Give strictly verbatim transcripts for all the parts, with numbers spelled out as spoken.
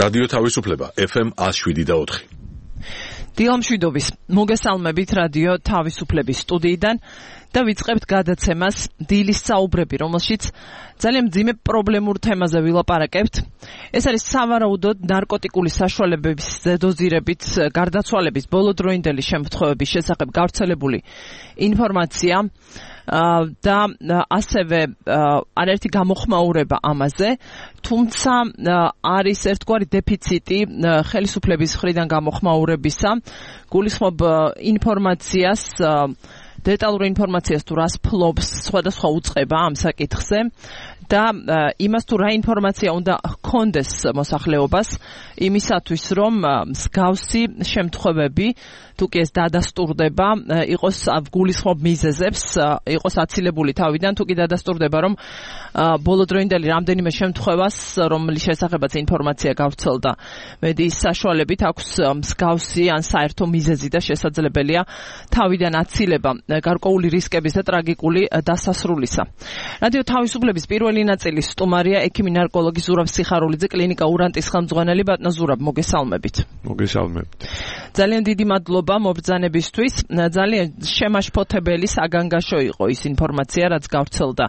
რადიო თავისუფლება ეფ ემ one oh seven და four. დილამშვიდობის მოგესალმებით რადიო თავისუფლების სტუდიიდან და ვიწყებთ გადაცემას დილის საუბრები, რომელშიც ძალიან მძიმე პრობლემურ თემაზე ვილაპარაკებთ. ეს არის სავარაუდოდ ნარკოტიკული საშუალებების დოზირებით გარდაცვალების ბოლოდროინდელი შემთხვევების შესახებ გავრცელებული ინფორმაცია და ასევე არაერთი გამოხმაურება ამაზე, თუმცა არის ერთგვარი დეფიციტი ხელისუფლების მხრიდან გამოხმაურებისა, გულისხმობ ინფორმაციას, დეტალურ ინფორმაციას თუ რას ფლობს სხვადასხვა უწყება ამ საკითხზე და იმას თუ რა ინფორმაცია უნდა ჰქონდეს მოსახლეობას იმისათვის რომ მსგავსი შემთხვევები თუ კი ეს დადასტურდება იყოს გულისხმობ მიზეზებს იყოს აცილებული თავიდან თუ კი დადასტურდება რომ ბოლოდროინდელი რამდენიმე შემთხვევას რომლის შესახებაც ინფორმაცია გავრცელდა მედიის საშუალებით აქვს მსგავსი ან საერთო მიზეზი და შესაძლებელია თავიდან აცილება გარკვეული რისკების და ტრაგიკული დასასრულისა. რადიო თავისუფლების პირველი ნაწილის სტუმარია ექიმი ნარკოლოგი ზურაბ სიხარულიძე, კლინიკა ურანტის ხელმძღვანელი. ბატონო ზურაბ, მოგესალმებით. მოგესალმებით. ძალიან დიდი მადლობა მობრძანებისთვის. ძალიან შემაშფოთებელი საგანგაშო იყო ის ინფორმაცია, რაც გავრცელდა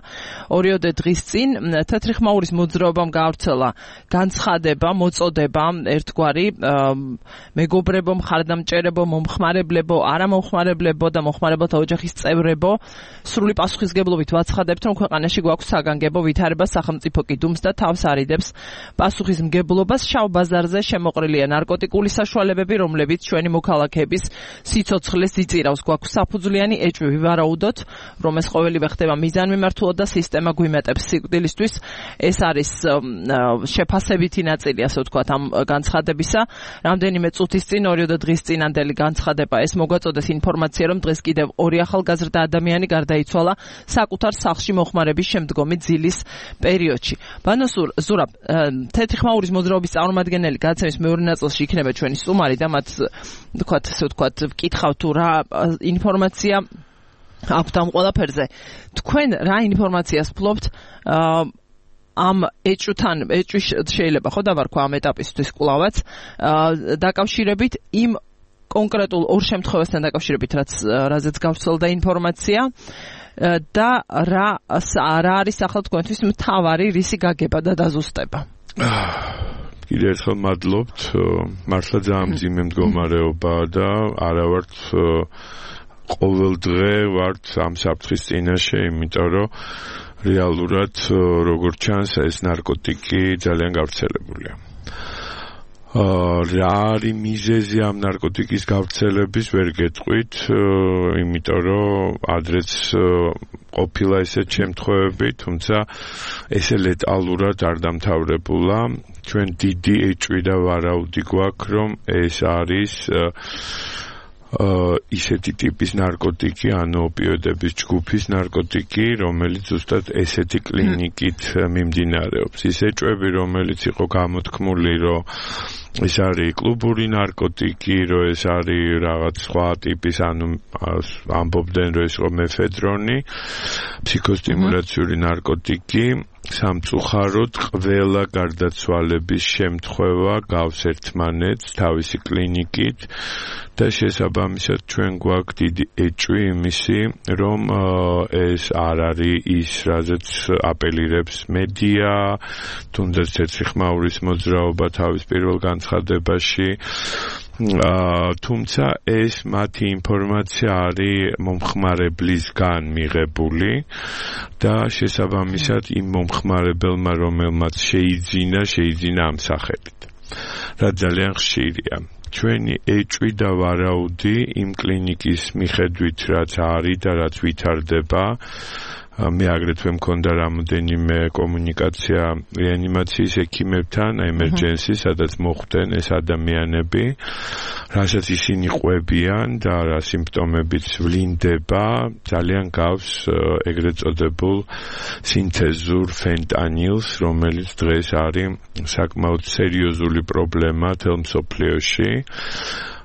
ორიოდე დღის წინ. თეთრი ხმაურის მოძრაობამ გავრცელა განცხადება, მოწოდება ერთგვარი მეგობრებო, მხარდამჭერებო, მომხმარებლებო, არამომხმარებლებო და მოხმარებელთა ოჯახის წევრებო, სრული პასუხისგებლობით ვაცხადებთ, რომ ქვეყანაში გვაქვს საგანგებო ვითარება, სახელმწიფო კიდუმს და თავს არიდებს პასუხისმგებლობას. შავ ბაზარზე შემოყრილია ნარკოტიკული საშუალებები, რომლებიც ჩვენი მოქალაქეების სიცოცხლეს იწირავს. გვაქვს საფუძვლიანი ეჭვი ვივარაუდოთ, რომ ეს ყოველივე ხდება მიზანმიმართულად და სისტემა გვიმეტებს სიკვდილისთვის. ეს არის შეფასებითი ნაწილი, ასე ვთქვათ, ამ განცხადებისა. რამდენიმე წუთის წინ, ორიოდე დღის წინანდელი განცხადება ეს მოგვაწოდეთ ინფორმაცია, რომ დღეს კიდევ ორი ახალგაზრდა ადამიანი გარდაიცვალა საკუთარ სახლში მოხმარების შემდგომი ძილის პერიოდში. ბანო ზურაბ, თეთრი ხმაურის მოძრაობის წარმომადგენელი გადაცემის მეორე ნაწილში იქნება ჩვენი სტუმარი და მათ ვთქვათ, ასე ვთქვათ, ვკითხავთ თუ რა ინფორმაცია აქვთ ამ ყველაფერზე. თქვენ რა ინფორმაციას ფლობთ ამ ეჭვთან, ეჭვი შეიძლება ხო დავარქვა ამ ეტაპისთვის კვლავაც დაკავშირებით იმ კონკრეტულ ორ შემთხვევასთან დაკავშირებით, რაც რაზეც გავრცელდა ინფორმაცია და რა რა არის ახლა თქვენთვის მთავარი რისი გაგება და დაზუსტება. კიდევ ერთხელ მადლობთ, მართლა ძალიან მძიმე მდგომარეობა და არა ვართ ყოველ დღე ვართ ამ საფრთხის წინაშე, იმიტომ რომ რეალურად როგორც ჩანს ეს ნარკოტიკი ძალიან გავრცელებულია. რა არის მიზეზი ამ ნარკოტიკის გავრცელების ვერ გეტყვით, იმიტომ რომ ადრეც ყოფილა ესეთ შემთხვევები, თუმცა ესე ლეტალურად არ დამთავრებულა. ჩვენ დიდი ეჭვი და ვარაუდი გვაქვს, რომ ეს არის ისეთი ტიპის ნარკოტიკი, ანუ ოპიოდების ჯგუფის ნარკოტიკი, რომელიც ზუსტად ესეთი კლინიკით მიმდინარეობს. ის ეჭვები, რომელიც იყო გამოთქმული, რომ ეს არის კლუბური ნარკოტიკი, რომ ეს არის რაღაც სხვა ტიპის, ანუ ამბობდნენ, რომ ეს იყო მეფედრონი, ფსიქოსტიმულაციური ნარკოტიკი. სამწუხაროდ ყველა გარდაცვალების შემთხვევა გავს ერთმანეთს თავისი კლინიკით და შესაბამისად ჩვენ გვაქვს დიდი ეჭვი იმისი, რომ ეს არ არის ის, რაზეც აპელირებს მედია, თუნდაც თეთრი ხმაურის მოძრაობა თავის პირველ განცხადებაში. თუმცა ეს მათი ინფორმაცია არის მომხმარებლისგან მიღებული და შესაბამისად იმ მომხმარებელმა, რომელმაც შეიძინა, შეიძინა ამ სახელით. რა ძალიან ხშირია. ჩვენი ეჭვი და ვარაუდი იმ კლინიკის მიხედვით, რაც არის და რაც ვითარდება, მე აგრეთვე მქონდა რამოდენიმე კომუნიკაცია რეანიმაციის ექიმებთან, ემერჯენსი, სადაც მოხვდნენ ეს ადამიანები, რასაც ისინი ყვებიან და რა სიმპტომებიც ვლინდება, ძალიან გავს ეგრეთ წოდებულ სინთეზურ ფენტანილს, რომელიც დღეს არის საკმაოდ სერიოზული პრობლემა მთელ მსოფლიოში.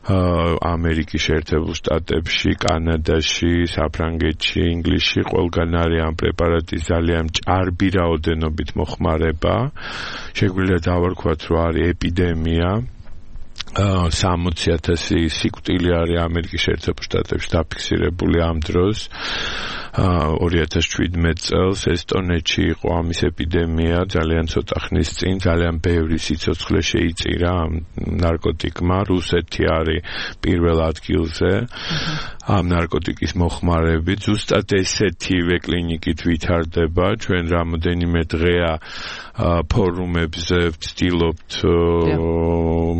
ამერიკის შეერთებულ შტატებში, კანადაში, საფრანგეთში, ინგლისში ყველგან არის ამ პრეპარატის ძალიან ჭარბი რაოდენობით მოხმარება. შეგვიძლია დავარქვათ, რომ არის ეპიდემია. სამოცი ათასი სიკვდილი არის ამერიკის შეერთებულ შტატებში დაფიქსირებული ამ დროს. ორი ათას შვიდმეტ წელს ესტონეთში იყო ამის ეპიდემია ძალიან ცოტა ხნის წინ, ძალიან ბევრი სიცოცხლე შეიწირა ამ ნარკოტიკმა. რუსეთი არის პირველ ადგილზე ამ ნარკოტიკის მოხმარებით. ზუსტად ესეთივე კლინიკით ვითარდება. ჩვენ რამოდენიმე დღეა ფორუმებზე ვცდილობთ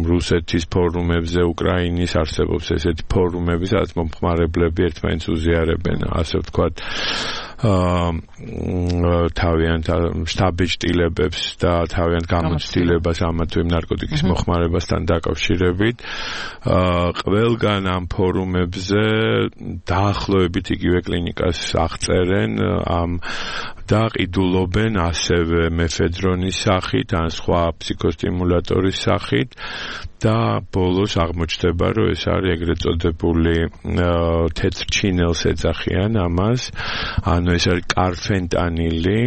რუსეთის ფორუმებზე, უკრაინის არსებობს ესეთი ფორუმები, სადაც მომხმარებლები ერთმანეთს უზიარებენ, ასე ვთქვათ, თავიანთ შტაბეჭდილებებს და თავიანთ გამოცდილებას ამა თუ იმ ნარკოტიკის მოხმარებასთან დაკავშირებით. ყველგან ამ ფორუმებზე დაახლოებით იგივე კლინიკას აღწერენ ამ და ყიდულობენ ასევე მეფედრონის სახით, ან სხვა ფსიქოსტიმულატორის სახით და ბოლოს აღმოჩნდება, რომ ეს არის ეგრეთ წოდებული თეთრ ჩინელს ეძახიან ამას, ანუ ეს არის კარფენტანილი,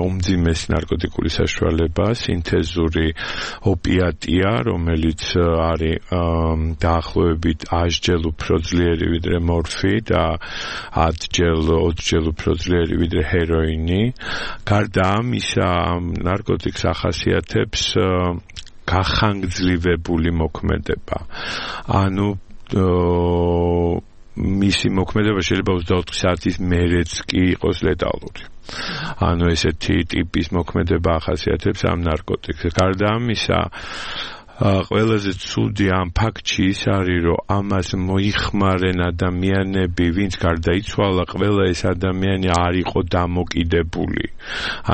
უმძიმესი ნარკოტიკული საშუალება, სინთეზური ოპიატია, რომელიც არის დაახლოებით ათჯერ უფრო ძლიერი ვიდრე მორფი და ათჯერ ოცჯერ უფრო ძლიერი ვიდრე ჰეროინი. გარდა ამისა, ამ ნარკოტიკს ახასიათებს გახანგრძლივებული მოქმედება. ანუ მისი მოქმედება შეიძლება ოცდაოთხი საათის მერეც კი იყოს ლეტალური. ანუ ესეთი ტიპის მოქმედება ახასიათებს ამ ნარკოტიკს. გარდა ამისა, ყველაზე ცუდი ამ ფაქტში ის არის, რომ ამას მოიხმარენ ადამიანები, ვინც გარდაიცვალა, ყველა ეს ადამიანი არ იყო დამოკიდებული.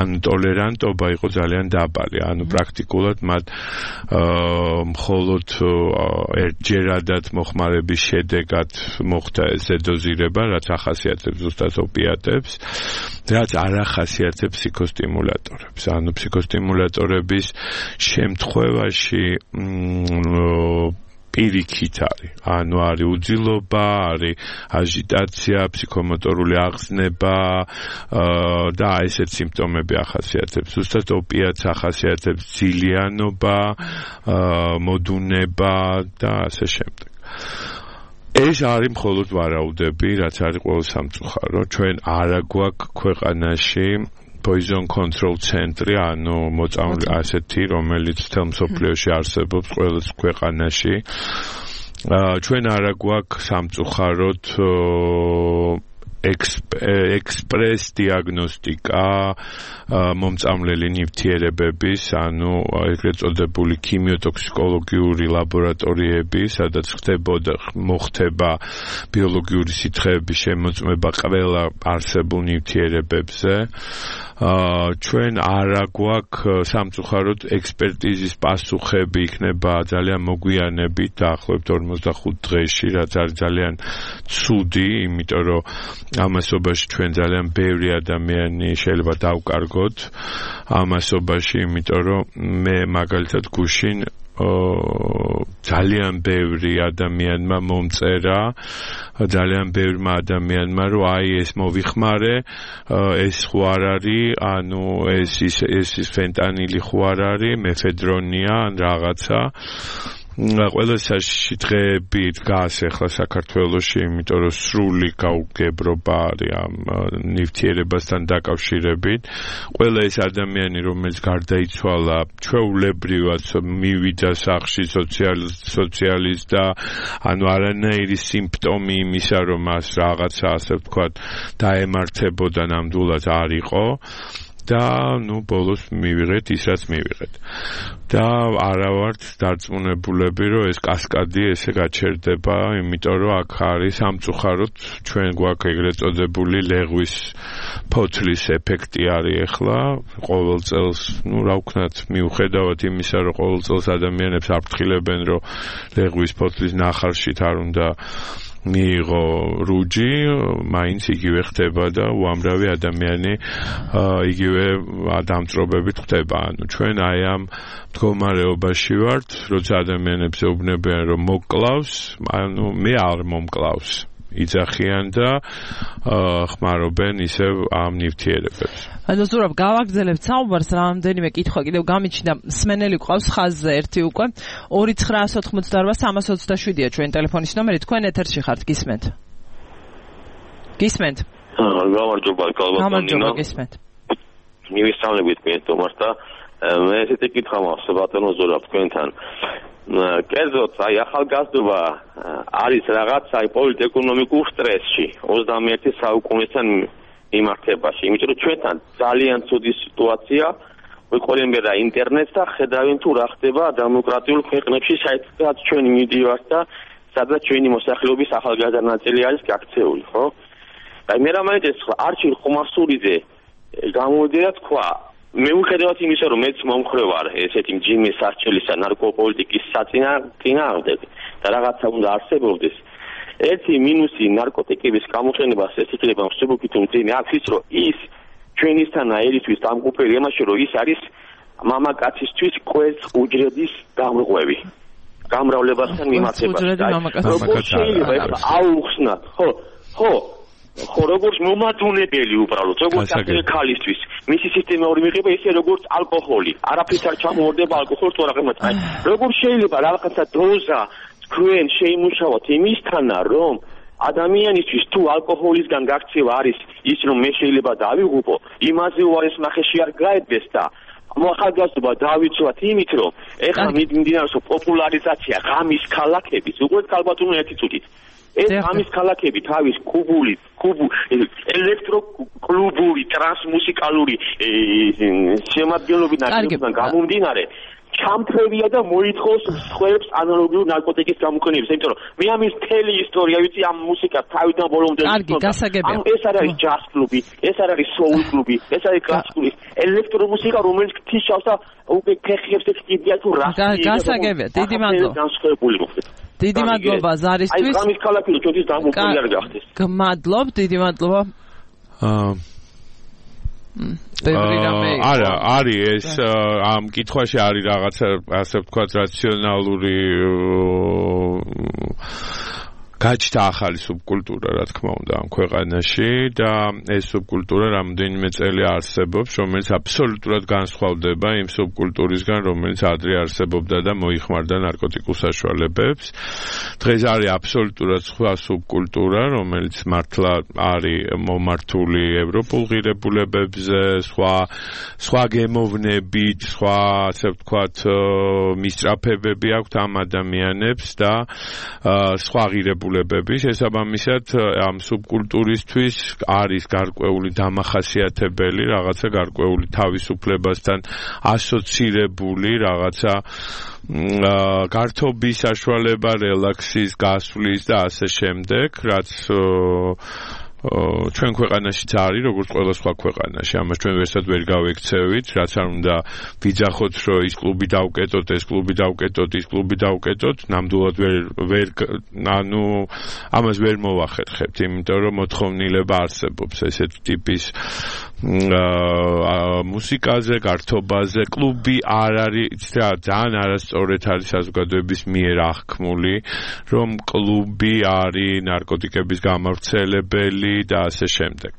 ანუ ტოლერანტობა იყო ძალიან დაბალი. ანუ პრაქტიკულად მათ მხოლოდ ერთჯერადად მოხმარების შედეგად მოხდა ეს დოზირება, რაც ახასიათებს ზუსტად ოპიატებს, რაც არ ახასიათებს ფსიქოსტიმულატორებს. ანუ ფსიქოსტიმულატორების შემთხვევაში პირიქით არის, ანუ არის უძილობა, არის აჟიტაცია, ფსიქომოტორული აღზნება და ესეთ სიმპტომები ახასიათებს. ზუსტად ოპიატს ახასიათებს ძილიანობა, მოდუნება და ასე შემდეგ. ეს არის მხოლოდ ვარაუდები, რაც არის ყოველ სამწუხარო. ჩვენ არა გვაქვს ქვეყანაში poison control ცენტრი, ანუ მოწამული ასეთი, რომელიც თელ მსოფლიოში არსებობს ყველა ქვეყანაში. ჩვენ არა გვაქვს სამწუხაროდ ექსპრეს დიაგნოსტიკა მომწამლელი ნივთიერებების, ანუ ეგრეთ წოდებული ქიმიოტოქსიკოლოგიური ლაბორატორიები, სადაც ხდებოდა მოხდება ბიოლოგიური სითხეების შემოწმება ყველა არსებულ ნივთიერებებზე. ჩვენ არა გვაქვს სამწუხაროდ ექსპერტიზის პასუხები იქნება ძალიან მოგვიანებით, დაახლოებით ორმოცდახუთ დღეში, რაც არის ძალიან ცუდი, იმიტომ რომ ამასობაში ჩვენ ძალიან ბევრი ადამიანი შეიძლება დავკარგოთ ამასობაში, იმიტომ რომ მე მაგალითად გუშინ ძალიან ბევრი ადამიანმა მომწერა, ძალიან ბევრმა ადამიანმა, რომ აი ეს მოვიხმარე, ეს ხო არ არის, ანუ ეს ის ეს ფენტანილი ხო არ არის, მეფედრონია ან რაღაცა. ყველა საშითხეები დგას ახლა საქართველოში, იმიტომ რომ სრული გაუგებრობა არის ამ ნივთიერებასთან დაკავშირებით. ყველა ეს ადამიანი, რომელიც გარდაიცვალა, ჩვეულებრივად მივიდა სახლში სოციალის და ანუ არანაირი სიმპტომი იმისა, რომ მას რაღაცა ასე ვთქვათ დაემართებოდა ნამდვილად არ იყო. და ნუ ბოლოს მივიღეთ ის რაც მივიღეთ. და არა ვართ დარწმუნებულები, რომ ეს კასკადი ესე გაჩერდება, იმიტომ რომ აქ არის სამწუხაროდ ჩვენ გვაქვს ეგრეთ წოდებული ლეღვის ფოთლის ეფექტი არის ახლა ყოველ წელს, ნუ რა ვქნათ, მიუხედავად იმისა, რომ ყოველ წელს ადამიანებს აფრთხილებენ, რომ ლეღვის ფოთლის ნახარშით არ უნდა მიიღო რუჯი, მაინც იგივე ხდება და უამრავი ადამიანი იგივე დამწრობებით ხდება. ანუ ჩვენ აი ამ მდგომარეობაში ვართ, როცა ადამიანებს ეუბნებიან რომ მოკლავს, ანუ მე არ მომკლავს. იძახიან და ხმარობენ ისევ ამ ნივთიერებებს. ანუ ზურაბ გავაგრძელებთ საუბარს, რამდენიმე კითხვა კიდევ გამიჩნდა. მსმენელი ყავს ხაზზე ერთი უკვე ორი ცხრაას ოთხმოცდაორვა სამას ოცდაშვიდია ჩვენ ტელეფონის ნომერი. თქვენ ეთერში ხართ, გისმენთ? გისმენთ? გამარჯობა, კალბატონინა. გამარჯობა, გისმენთ. მივისწავლებით მე თომას და მე ესეთი კითხვა მაქვს ბატონო ზურაბ თქვენთან. კერძოდ, აი ახალგაზრდობა არის რაღაცა აი პოლიტ-ეკონომიკურ სტრესში ოცდამეერთე საუკუნესთან მიმართებაში, იმიტომ რომ ჩვენთან ძალიან ცუდი სიტუაცია, ვიყოლენ მე რა ინტერნეტს და ხედავენ თუ რა ხდება დემოკრატიულ ქვეყნებში, საერთოდ ჩვენი მიდივართ და სადაც ჩვენი მოსახლეობის ახალგაზრდა ნაწილი არის გაქცეული, ხო? აი მე რა მაინტერესებს, არჩილ ხომასურიძე გამოვიდა თქვა მეუხედავად იმისა, რომ მეც მომხრე ვარ ესეთი მძიმე სასჯელისა ნარკოპოლიტიკის საწინააღმდეგ და რაღაცა უნდა არსებობდეს. ერთი მინუსი ნარკოტიკების გამოყენებას ეს იქნება მსუბუქით უმძიმე აქვს ის, რომ ის ჩვენისთანა ერისთვის დამგუფელი იმაში, რომ ის არის მამაკაცისთვის კვერცხ უჯრედის გამრღვევი. გამრავლებასთან მიმართებაში. როგორ შეიძლება ეს აუხსნათ, ხო? ხო ხო როგორც მომადუნებელი უბრალოდ როგორც ახალი ქალისთვის მისი სისტემური მიღება ისე როგორც ალკოჰოლი არაფერს არ ჩამოვარდება ალკოჰოლს თუ რაღაცა აი როგორ შეიძლება რაღაცა დოზა თქვენ შეიმუშავოთ იმისთანა რომ ადამიანისთვის თუ ალკოჰოლისგან გაქცევა არის ის რომ მე შეიძლება დავიღუპო იმაზე უარეს ნახეში არ გაედეს და ახალგაზრდობა დავიცვათ იმით რომ ეხლა მიმდინარეობს პოპულარიზაცია ღამის ქალაქების უყურეთ ქალბატონო ერთი წუთით ეს ამის ქალაქები თავის კუბული, კუბუ, ელექტროკლუბური, ტრანსმუსიკალური შემადგენლობიდან ნაკლებიდან გამომდინარე ჩამფრევია და მოითხოვს სხვებს ანალოგიურ ნარკოტიკის გამოყენებას, იმიტომ რომ მე ამის მთელი ისტორია ვიცი ამ მუსიკას თავიდან ბოლომდე გასაგებია. ეს არ არის ჯაზ კლუბი, ეს არ არის soul კლუბი, ეს არის კლასიკური ელექტრომუსიკა, რომელიც ღვთისმშობლს და უკვე ფეხებს ეკიდია თუ რა. გასაგებია, დიდი მადლობა. განსხვავებული მოხდეს. დიდი მადლობა ზარისთვის. აი გამის ქალაქი ჩვენთვის დამოუკიდებელი არ გახდეს. გმადლობ, დიდი მადლობა. აა არა, არის ეს ამ კითხვაში არის რაღაცა ასე ვთქვათ რაციონალური გაჩნდა ახალი სუბკულტურა, რა თქმა უნდა, ამ ქვეყანაში და ეს სუბკულტურა რამდენიმე წელი არსებობს, რომელიც აბსოლუტურად განსხვავდება იმ სუბკულტურისგან, რომელიც ადრე არსებობდა და მოიხმარდა ნარკოტიკულ საშუალებებს. დღეს არის აბსოლუტურად სხვა სუბკულტურა, რომელიც მართლა არის მომართული ევროპულ ღირებულებებზე, სხვა სხვა გემოვნებით, სხვა ასე ვთქვათ მისწრაფებები აქვთ ამ ადამიანებს და სხვა ღირებულებები შესაბამისად ამ სუბკულტურისთვის არის გარკვეული დამახასიათებელი რაღაცა გარკვეული თავისუფლებასთან ასოცირებული რაღაცა გართობის საშუალება, რელაქსის, გასვლის და ასე შემდეგ, რაც ჩვენ ქვეყანაშიც არის, როგორც ყველა სხვა ქვეყანაში. ამას ჩვენ ვერსად ვერ გავექცევით, რაც არ უნდა ვიძახოთ, რომ ის კლუბი დავკეტოთ, ეს კლუბი დავკეტოთ, ის კლუბი დავკეტოთ, ნამდვილად ვერ ვერ ანუ ამას ვერ მოვახერხებთ, იმიტომ რომ მოთხოვნილება არსებობს ესეთ ტიპის მუსიკაზე, გართობაზე. კლუბი არ არის და ძალიან არასწორად არის საზოგადოების მიერ აღქმული, რომ კლუბი არის ნარკოტიკების გამავრცელებელი და ასე შემდეგ.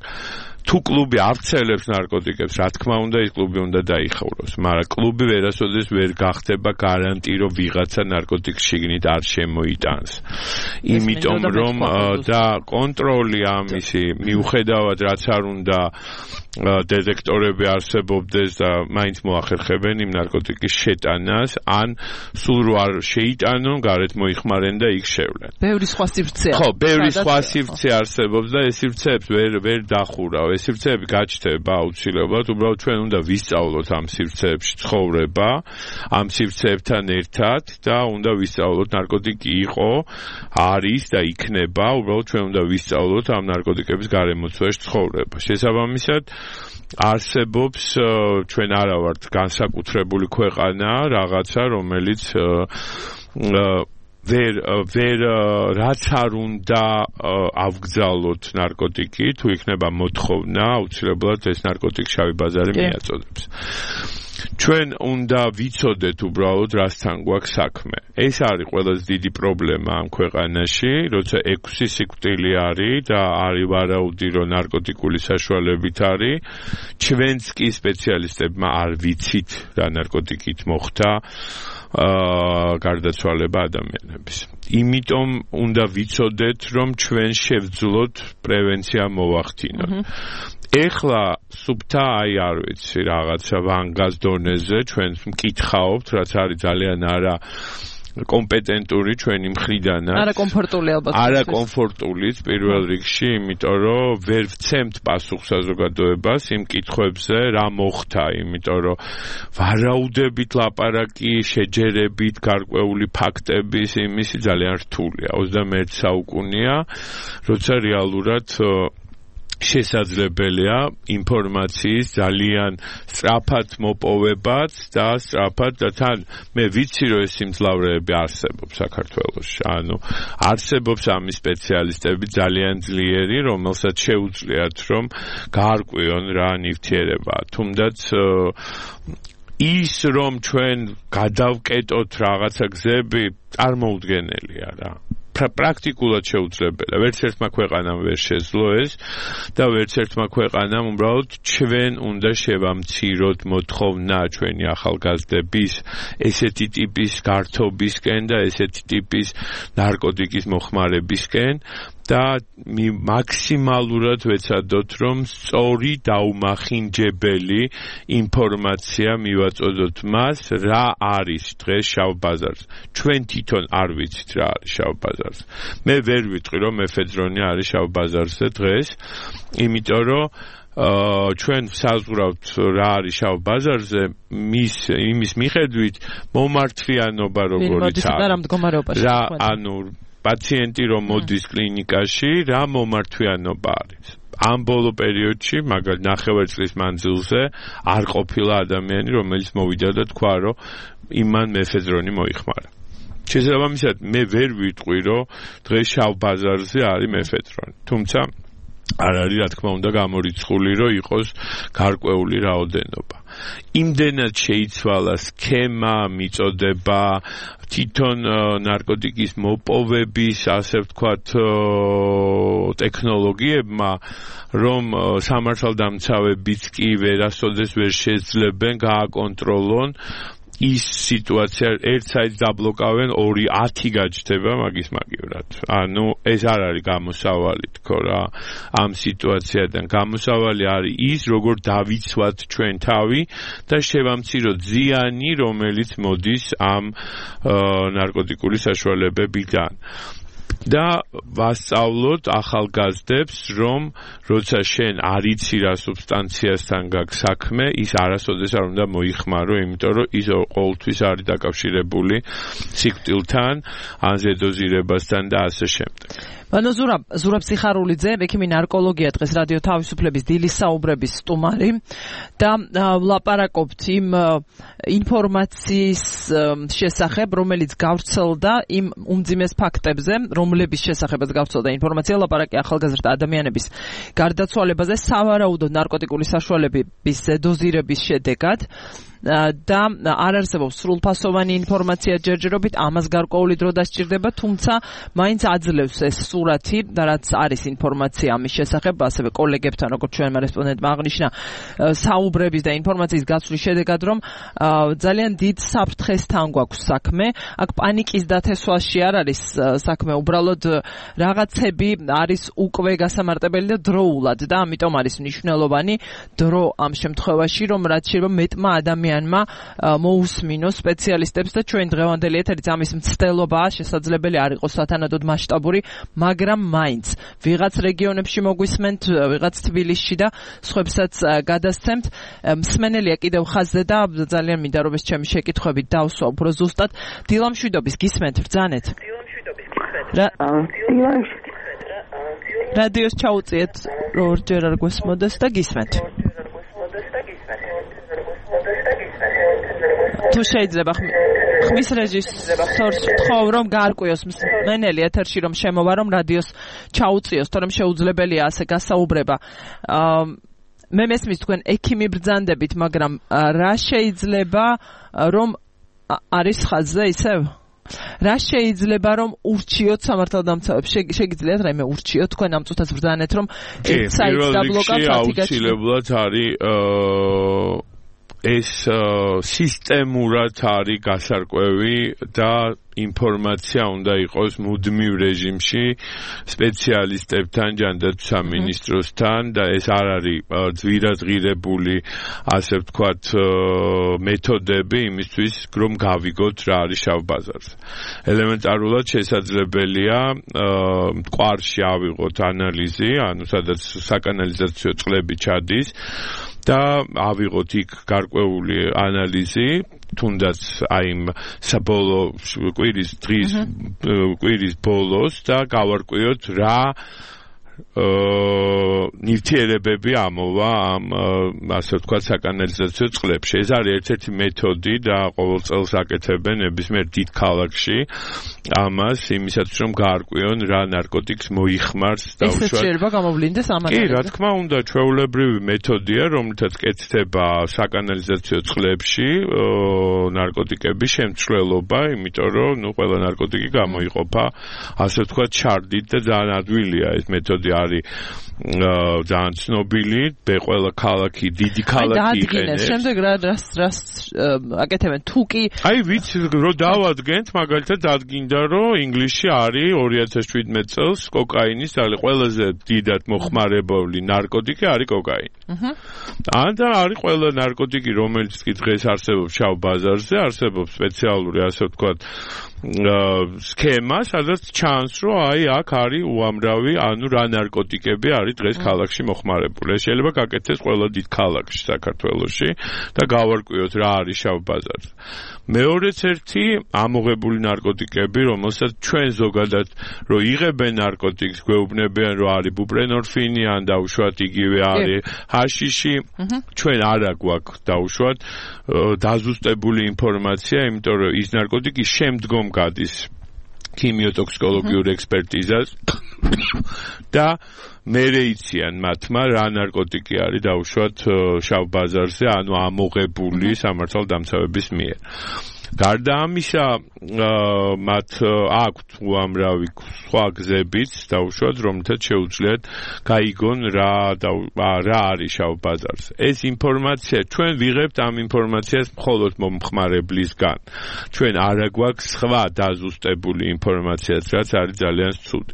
თუ კლუბი ავრცელებს ნარკოტიკებს, რა თქმა უნდა, ის კლუბი უნდა დაიხუროს, მაგრამ კლუბი ვერასოდეს ვერ გახდება გარანტი, რომ ვიღაცა ნარკოტიკს შიგნით არ შემოიტანს. იმიტომ რომ და კონტროლი ამისი მიუხედავად რაც არ უნდა დეტექტორები არსებობდეს და მაინც მოახერხებენ იმ ნარკოტიკის შეტანას, ან სულ რო არ შეიტანონ, გარეთ მოიხმარენ და იქ შევლენ. ბევრი სხვა სივრცეა. ხო, ბევრი სხვა სივრცე არსებობს და ეს სივრცეებს ვერ ვერ დახურავ. ეს სივრცეები გაჩნდება აუცილებლად, უბრალოდ ჩვენ უნდა ვისწავლოთ ამ სივრცეებში ცხოვრება, ამ სივრცეებთან ერთად და უნდა ვისწავლოთ ნარკოტიკი იყო, არის და იქნება, უბრალოდ ჩვენ უნდა ვისწავლოთ ამ ნარკოტიკების გარემოცვაში ცხოვრება. შესაბამისად არსებობს ჩვენ არა ვართ განსაკუთრებული ქვეყანა, რაღაცა, რომელიც ვერ ვერ რაც არ უნდა ავგზავნოთ ნარკოტიკი, თუ იქნება მოთხოვნა, აუცილებლად ეს ნარკოტიკი შავი ბაზარი მიაწოდებს. ჩვენ უნდა ვიცოდეთ უბრალოდ რასთან გვაქვს საქმე. ეს არის ყველაზე დიდი პრობლემა ამ ქვეყანაში, როცა ექვსი სიკვდილი არის და არის ვარაუდი, რომ ნარკოტიკული საშუალებით არის. ჩვენც კი სპეციალისტებმა არ ვიცით რა ნარკოტიკით მოხდა აა გარდაცვალება ადამიანების. იმიტომ უნდა ვიცოდეთ, რომ ჩვენ შევძლოთ პრევენცია მოვახდინოთ. ეხლა სუფთა აი არ ვიცი რაღაცა ვანგას დონეზე ჩვენ მკითხაობთ, რაც არის ძალიან არა კომპეტენტური ჩვენი მხრიდანაც. არა კომფორტული ალბათ. არა კომფორტულიც პირველ რიგში, იმიტომ რომ ვერ ვცემთ პასუხს საზოგადოებას იმ კითხვებზე, რა მოხდა, იმიტომ რომ ვარაუდებით ლაპარაკი, შეჯერებით, გარკვეული ფაქტების იმისი ძალიან რთულია. ოცდამეერთი საუკუნეა, როცა რეალურად შესაძლებელია ინფორმაციის ძალიან სწრაფად მოპოვებაც და სწრაფად და თან მე ვიცი რომ ეს სიმძლავრეები არსებობს საქართველოში. ანუ არსებობს ამის სპეციალისტები ძალიან ძლიერი, რომელსაც შეუძლიათ რომ გაარკვიონ რა ნივთიერება. თუმდაც ის რომ ჩვენ გადავკეტოთ რაღაცა გზები წარმოუდგენელია რა. პრაქტიკულად შეუძლებელია. ვერც ერთმა ქვეყანამ ვერ შეძლო ეს და ვერც ერთმა ქვეყანამ უბრალოდ ჩვენ უნდა შევამციროთ მოთხოვნა ჩვენი ახალგაზრდების ესეთი ტიპის გართობისკენ და ესეთი ტიპის ნარკოტიკის მოხმარებისკენ და მაქსიმალურად ვეცადოთ, რომ სწორი დაუმახინჯებელი ინფორმაცია მივაწოდოთ მას, რა არის დღეს შავ ბაზარზე. ჩვენ თვითონ არ ვიცით რა არის შავ ბაზარზე. მე ვერ ვიტყვი, რომ მეფედრონი არის შავ ბაზარზე დღეს, იმიტომ რომ აა ჩვენ საზღვრავთ რა არის შავ ბაზარზე, მის იმის მიხედვით მომართვიანობა როგორიც არის. რა ანუ პაციენტი რომ მოდის კლინიკაში, რა მომართვიანობა არის. ამ ბოლო პერიოდში, მაგალითად ნახევარ წლის მანძილზე არ ყოფილა ადამიანი, რომელიც მოვიდა და თქვა, რომ იმან მეფედრონი მოიხმარა. შესაბამისად, მე ვერ ვიტყვი, რომ დღეს შავ ბაზარზე არის მეფედრონი. თუმცა არ არის რა თქმა უნდა გამორიცხული, რომ იყოს გარკვეული რაოდენობა. იმდენად შეიცვალა სქემა, მიწოდება, თვითონ ნარკოტიკის მოპოვების, ასე ვთქვათ, ტექნოლოგიებმა, რომ სამართალდამცავებიც კი ვერასოდეს ვერ შეძლებენ გააკონტროლონ ის სიტუაცია, ერთ საიტს დაბლოკავენ, ორი ათი გაჩნდება მაგის მაგივრად. ანუ ეს არ არის გამოსავალი თქო რა ამ სიტუაციიდან. გამოსავალი არის ის, როგორ დავიცვათ ჩვენ თავი და შევამციროთ ზიანი, რომელიც მოდის ამ ნარკოტიკული საშუალებებიდან. და ვასწავლოთ ახალგაზრდებს, რომ როცა შენ არ იცი რა სუბსტანციასთან გაქვს საქმე, ის არასოდეს არ უნდა მოიხმარო, იმიტომ რომ ის ყოველთვის არის დაკავშირებული სიკვდილთან, ან ზედოზირებასთან და ასე შემდეგ. ანუ ზურაბ ზურაბ სიხარულიძე, ექიმი ნარკოლოგია, დღეს რადიო თავისუფლების დილის საუბრების სტუმარი და ვლაპარაკობთ იმ ინფორმაციის შესახებ, რომელიც გავრცელდა იმ უმძიმეს ფაქტებზე, რომლების შესახებაც გავრცელდა ინფორმაცია, ლაპარაკი ახალგაზრდა ადამიანების გარდაცვალებაზე სავარაუდო ნარკოტიკული საშუალებების დოზირების შედეგად. და არ არსებობს სრულფასოვანი ინფორმაცია ჯერჯერობით, ამას გარკვეული დრო დასჭირდება, თუმცა მაინც აძლევს ეს სურათი, რაც არის ინფორმაცია ამის შესახებ, ასევე კოლეგებთან, როგორც ჩვენმა რესპონდენტმა აღნიშნა, საუბრების და ინფორმაციის გაცვლის შედეგად, რომ ძალიან დიდ საფრთხესთან გვაქვს საქმე. აქ პანიკის დათესვაში არ არის საქმე, უბრალოდ რაღაცები არის უკვე გასამარტებელი და დროულად და ამიტომ არის მნიშვნელოვანი დრო ამ შემთხვევაში, რომ რაც შეიძლება მეტმა ადამიანმა მოусმინოს სპეციალისტებს და ჩვენ დღევანდელი ეთერიც ამის მცდელობაა, შესაძლებელი არ იყოს სათანადოდ მასშტაბური, მაგრამ მაინც ვიღაც რეგიონებში მოგვისმენთ, ვიღაც თბილისში და სხვებსაც გადასცემთ. მსმენელია კიდევ ხაზზე და ძალიან მინდა რომ ეს ჩემი შეკითხვები დავსვა უფრო ზუსტად. დილამშვიდობის გისმენთ ბრძანეთ. დილამშვიდობის გისმენთ. რადიოს ჩაუწიეთ, რომ ორჯერ არ გვესმოდეს და გისმენთ. თუ შეიძლება ხმის რეჟისორს ვთხოვ, რომ გაარკვიოს მენელი ეთერში, რომ შემოვა, რომ რადიოს ჩაუწიოს, თორემ შეუძლებელია ასე გასაუბრება. მე მესმის თქვენ ექიმი ბრძანდებით, მაგრამ რა შეიძლება რომ არის ხაზზე ისევ? რა შეიძლება რომ ურჩიოთ სამართალდამცავებს? შეგიძლიათ რაიმე ურჩიოთ თქვენ ამ წუთას ბრძანეთ, რომ ერთ საიტს დაბლოკავთ ათი აუცილებლად არის ეს სისტემურად არის გასარკვევი და ინფორმაცია უნდა იყოს მუდმივ რეჟიმში სპეციალისტებთან, ჯანდაცვის სამინისტროსთან და ეს არ არის ძვირადღირებული, ასე ვთქვათ, მეთოდები იმისთვის, რომ გავიგოთ რა არის შავ ბაზარზე. ელემენტარულად შესაძლებელია მტკვარში ავიღოთ ანალიზი, ანუ სადაც საკანალიზაციო წყლები ჩადის და ავიღოთ იქ გარკვეული ანალიზი, თუნდაც აი იმ საბოლოო კვირის დღის კვირის ბოლოს და გავარკვიოთ რა ნივთიერებები ამოვა ამ ასე ვთქვათ საკანალიზაციო წყლებში. ეს არის ერთ-ერთი მეთოდი და ყოველ წელს აკეთებენ ნებისმიერ დიდ ქალაქში ამას იმისათვის რომ გაარკვიონ რა ნარკოტიკს მოიხმარს დაუშვათ. ეს შეიძლება გამოვლინდეს ამ ანალიზი. კი, რა თქმა უნდა, ჩვეულებრივი მეთოდია, რომლითაც კეთდება საკანალიზაციო წყლებში ნარკოტიკების შემცვლელობა, იმიტომ რომ ნუ ყველა ნარკოტიკი გამოიყოფა ასე ვთქვათ ჩარდით და ძალიან ადვილია ეს მეთოდი არის ძალიან ცნობილი, ყველა ქალაქი, დიდი ქალაქი იყენებს. შემდეგ რა რას რას აკეთებენ თუ კი აი ვიცი რომ დავადგენთ, მაგალითად დადგინდა რომ ინგლისში არის ორი ათას შვიდმეტ წელს კოკაინის არის ყველაზე დიდად მოხმარებული ნარკოტიკი არის კოკაინი. აჰა. და არის ყველა ნარკოტიკი, რომელიც კი დღეს არსებობს შავ ბაზარზე, არსებობს სპეციალური ასე ვთქვათ სქემა, სადაც ჩანს რომ აი აქ არის უამრავი, ანუ რა ნარკოტიკები არის დღეს ქალაქში მოხმარებული. ეს შეიძლება გაკეთდეს ყველა დიდ ქალაქში საქართველოში და გავარკვიოთ რა არის შავ ბაზარზე. მეორეც ერთი ამოღებული ნარკოტიკები, რომელსაც ჩვენ ზოგადად რო იღებენ ნარკოტიკს, გვეუბნებიან რომ არის ბუპრენორფინი ან დაუშვათ იგივე არის ჰაშიში, ჩვენ არა გვაქვს დაუშვათ დაზუსტებული ინფორმაცია, იმიტომ რომ ის ნარკოტიკი შემდგომ გადის ქიმიოტოქსიკოლოგიურ ექსპერტიზას და მერე იციან მათმა რა ნარკოტიკი არის დაუშვათ შავ ბაზარზე, ანუ ამოღებული სამართალდამცავების მიერ. გარდა ამისა, მათ აქვთ უამრავი სხვა გზებიც დაუშვათ, რომელთაც შეუძლიათ გაიგონ რა რა არის შავ ბაზარზე. ეს ინფორმაცია ჩვენ ვიღებთ ამ ინფორმაციას მხოლოდ მომხმარებლისგან. ჩვენ არ გვაქვს სხვა დაზუსტებული ინფორმაციაც, რაც არის ძალიან ცუდი.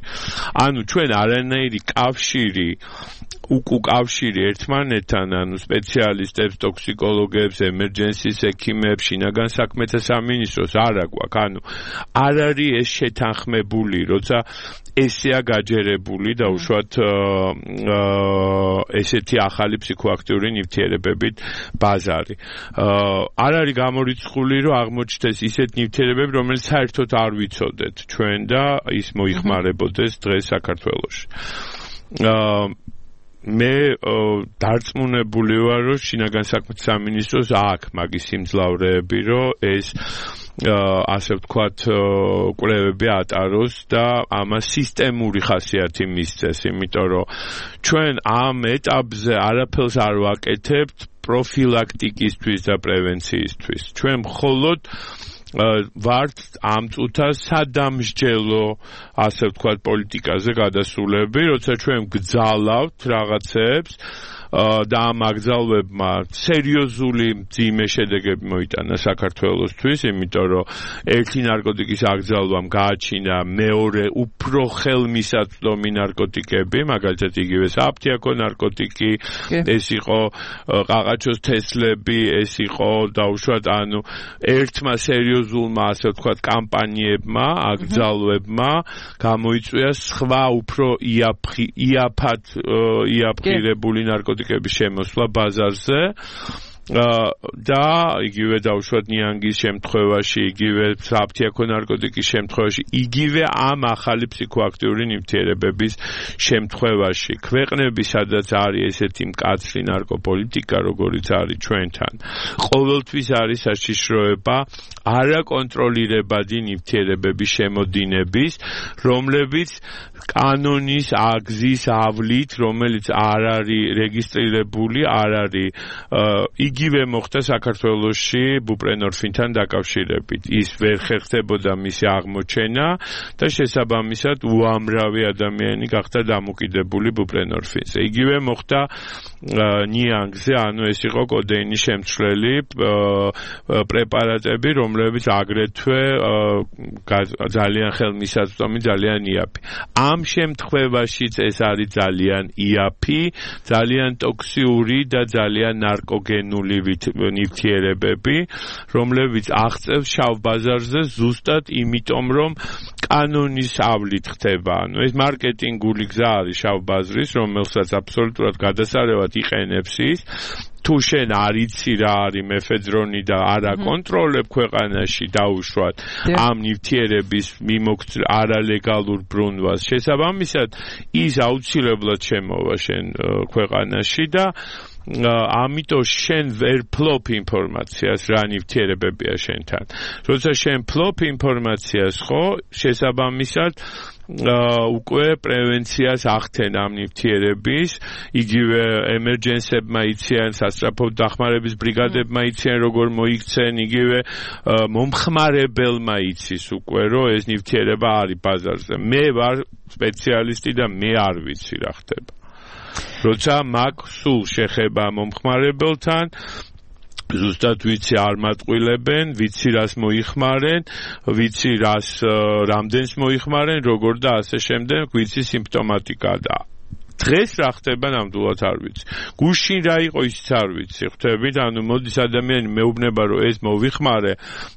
ანუ ჩვენ არანაირი კავშირი უკუ კავშირი ერთმანეთთან, ანუ სპეციალისტებს, ტოქსიკოლოგებს, ემერჯენსის ექიმებს, შინაგან საქმეთა სამინისტროს არ აქვს. ანუ არ არის ეს შეთანხმებული, როცა ესეა გაჯერებული დაუშვათ ესეთი ახალი ფსიქოაქტიური ნივთიერებებით ბაზარი. არ არის გამორიცხული, რომ აღმოჩნდეს ისეთ ნივთიერებები, რომელიც საერთოდ არ ვიცოდეთ ჩვენ და ის მოიხმარებოდეს დღეს საქართველოში. მე დარწმუნებული ვარ, რომ შინაგან საქმეთა სამინისტროს აქვს მაგის სიმძლავრეები, რომ ეს ასე ვთქვათ კვლევები ატაროს და ამას სისტემური ხასიათი მისცეს, იმიტომ რომ ჩვენ ამ ეტაპზე არაფერს არ ვაკეთებთ პროფილაქტიკისთვის და პრევენციისთვის. ჩვენ მხოლოდ ვართ ამ წუთას სადამსჯელო ასე ვთქვათ პოლიტიკაზე გადასულები, როცა ჩვენ გძალავთ რაღაცებს და ამ აგზალვებმა სერიოზული მძიმე შედეგები მოიტანა საქართველოსთვის, იმიტომ რომ ერთი ნარკოტიკის აგზალვამ გააჩინა მეორე უფრო ხელმისაწვდომი ნარკოტიკები, მაგალითად იგივე საფთიაქო ნარკოტიკი, ეს იყო ყაყაჩოს თესლები, ეს იყო დაუშვათ, ანუ ერთმა სერიოზულმა ასე ვთქვათ კამპანიებმა, აგზალვებმა გამოიწვია სხვა უფრო იაფად იაფყირებული ნარკოტიკები შემოსვლა ბაზარზე და იგივე დავუშვათ ნიანგის შემთხვევაში, იგივე საფთიაქო ნარკოტიკის შემთხვევაში, იგივე ამ ახალი ფსიქოაქტიური ნივთიერებების შემთხვევაში. ქვეყნები, სადაც არის ესეთი მკაცრი ნარკოპოლიტიკა, როგორიც არის ჩვენთან, ყოველთვის არის საშიშროება არაკონტროლირებადი ნივთიერებების შემოდინების, რომლებიც კანონის აგზის ავლით, რომელიც არ არის რეგისტრირებული, არ არის იგივე მოხდა საქართველოში ბუპრენორფინთან დაკავშირებით. ის ვერ ხერხდებოდა მისი აღმოჩენა და შესაბამისად უამრავი ადამიანი გახდა დამოკიდებული ბუპრენორფინზე. იგივე მოხდა ნიანგზე, ანუ ეს იყო კოდეინის შემცვლელი პრეპარატები, რომლებიც აგრეთვე ძალიან ხელმისაწვდომი, ძალიან იაფი. ამ შემთხვევაშიც ეს არის ძალიან იაფი, ძალიან ტოქსიური და ძალიან ნარკოგენული ნივთიერებები, რომლებიც აღწევს შავ ბაზარზე ზუსტად იმიტომ, რომ კანონის ავლით ხდება. ანუ ეს მარკეტინგული გზა არის შავ ბაზრის, რომელსაც აბსოლუტურად გადასარევად იყენებს ის. თუ შენ არ იცი რა არის მეფედრონი და არ აკონტროლებ ქვეყანაში დაუშვათ ამ ნივთიერების მიმოქცევის არალეგალურ ბრუნვას, შესაბამისად ის აუცილებლად შემოვა შენ ქვეყანაში და ამიტომ შენ ვერ ფლობ ინფორმაციას რა ნივთიერებებია შენთან. როცა შენ ფლობ ინფორმაციას, ხო, შესაბამისად უკვე პრევენციას ახდენ ამ ნივთიერების, იგივე ემერჯენსებმა იციან, სასწრაფო დახმარების ბრიგადებმა იციან, როგორ მოიქცენ, იგივე მომხმარებელმა იცის უკვე, რომ ეს ნივთიერება არის ბაზარზე. მე ვარ სპეციალისტი და მე არ ვიცი რა ხდება. როცა მაქვს სულ შეხება მომხმარებელთან, ზუსტად ვიცი არ მატყვილებენ, ვიცი რას მოიხმარენ, ვიცი რას რამდენს მოიხმარენ, როგორ და ასე შემდეგ, ვიცი სიმპტომატიკა და დღეს რა ხდება ნამდვილად არ ვიცი. გუშინ რა იყო ისიც არ ვიცი. ხვდებით, ანუ მოდის ადამიანი მეუბნება რომ ეს მოვიხმარე,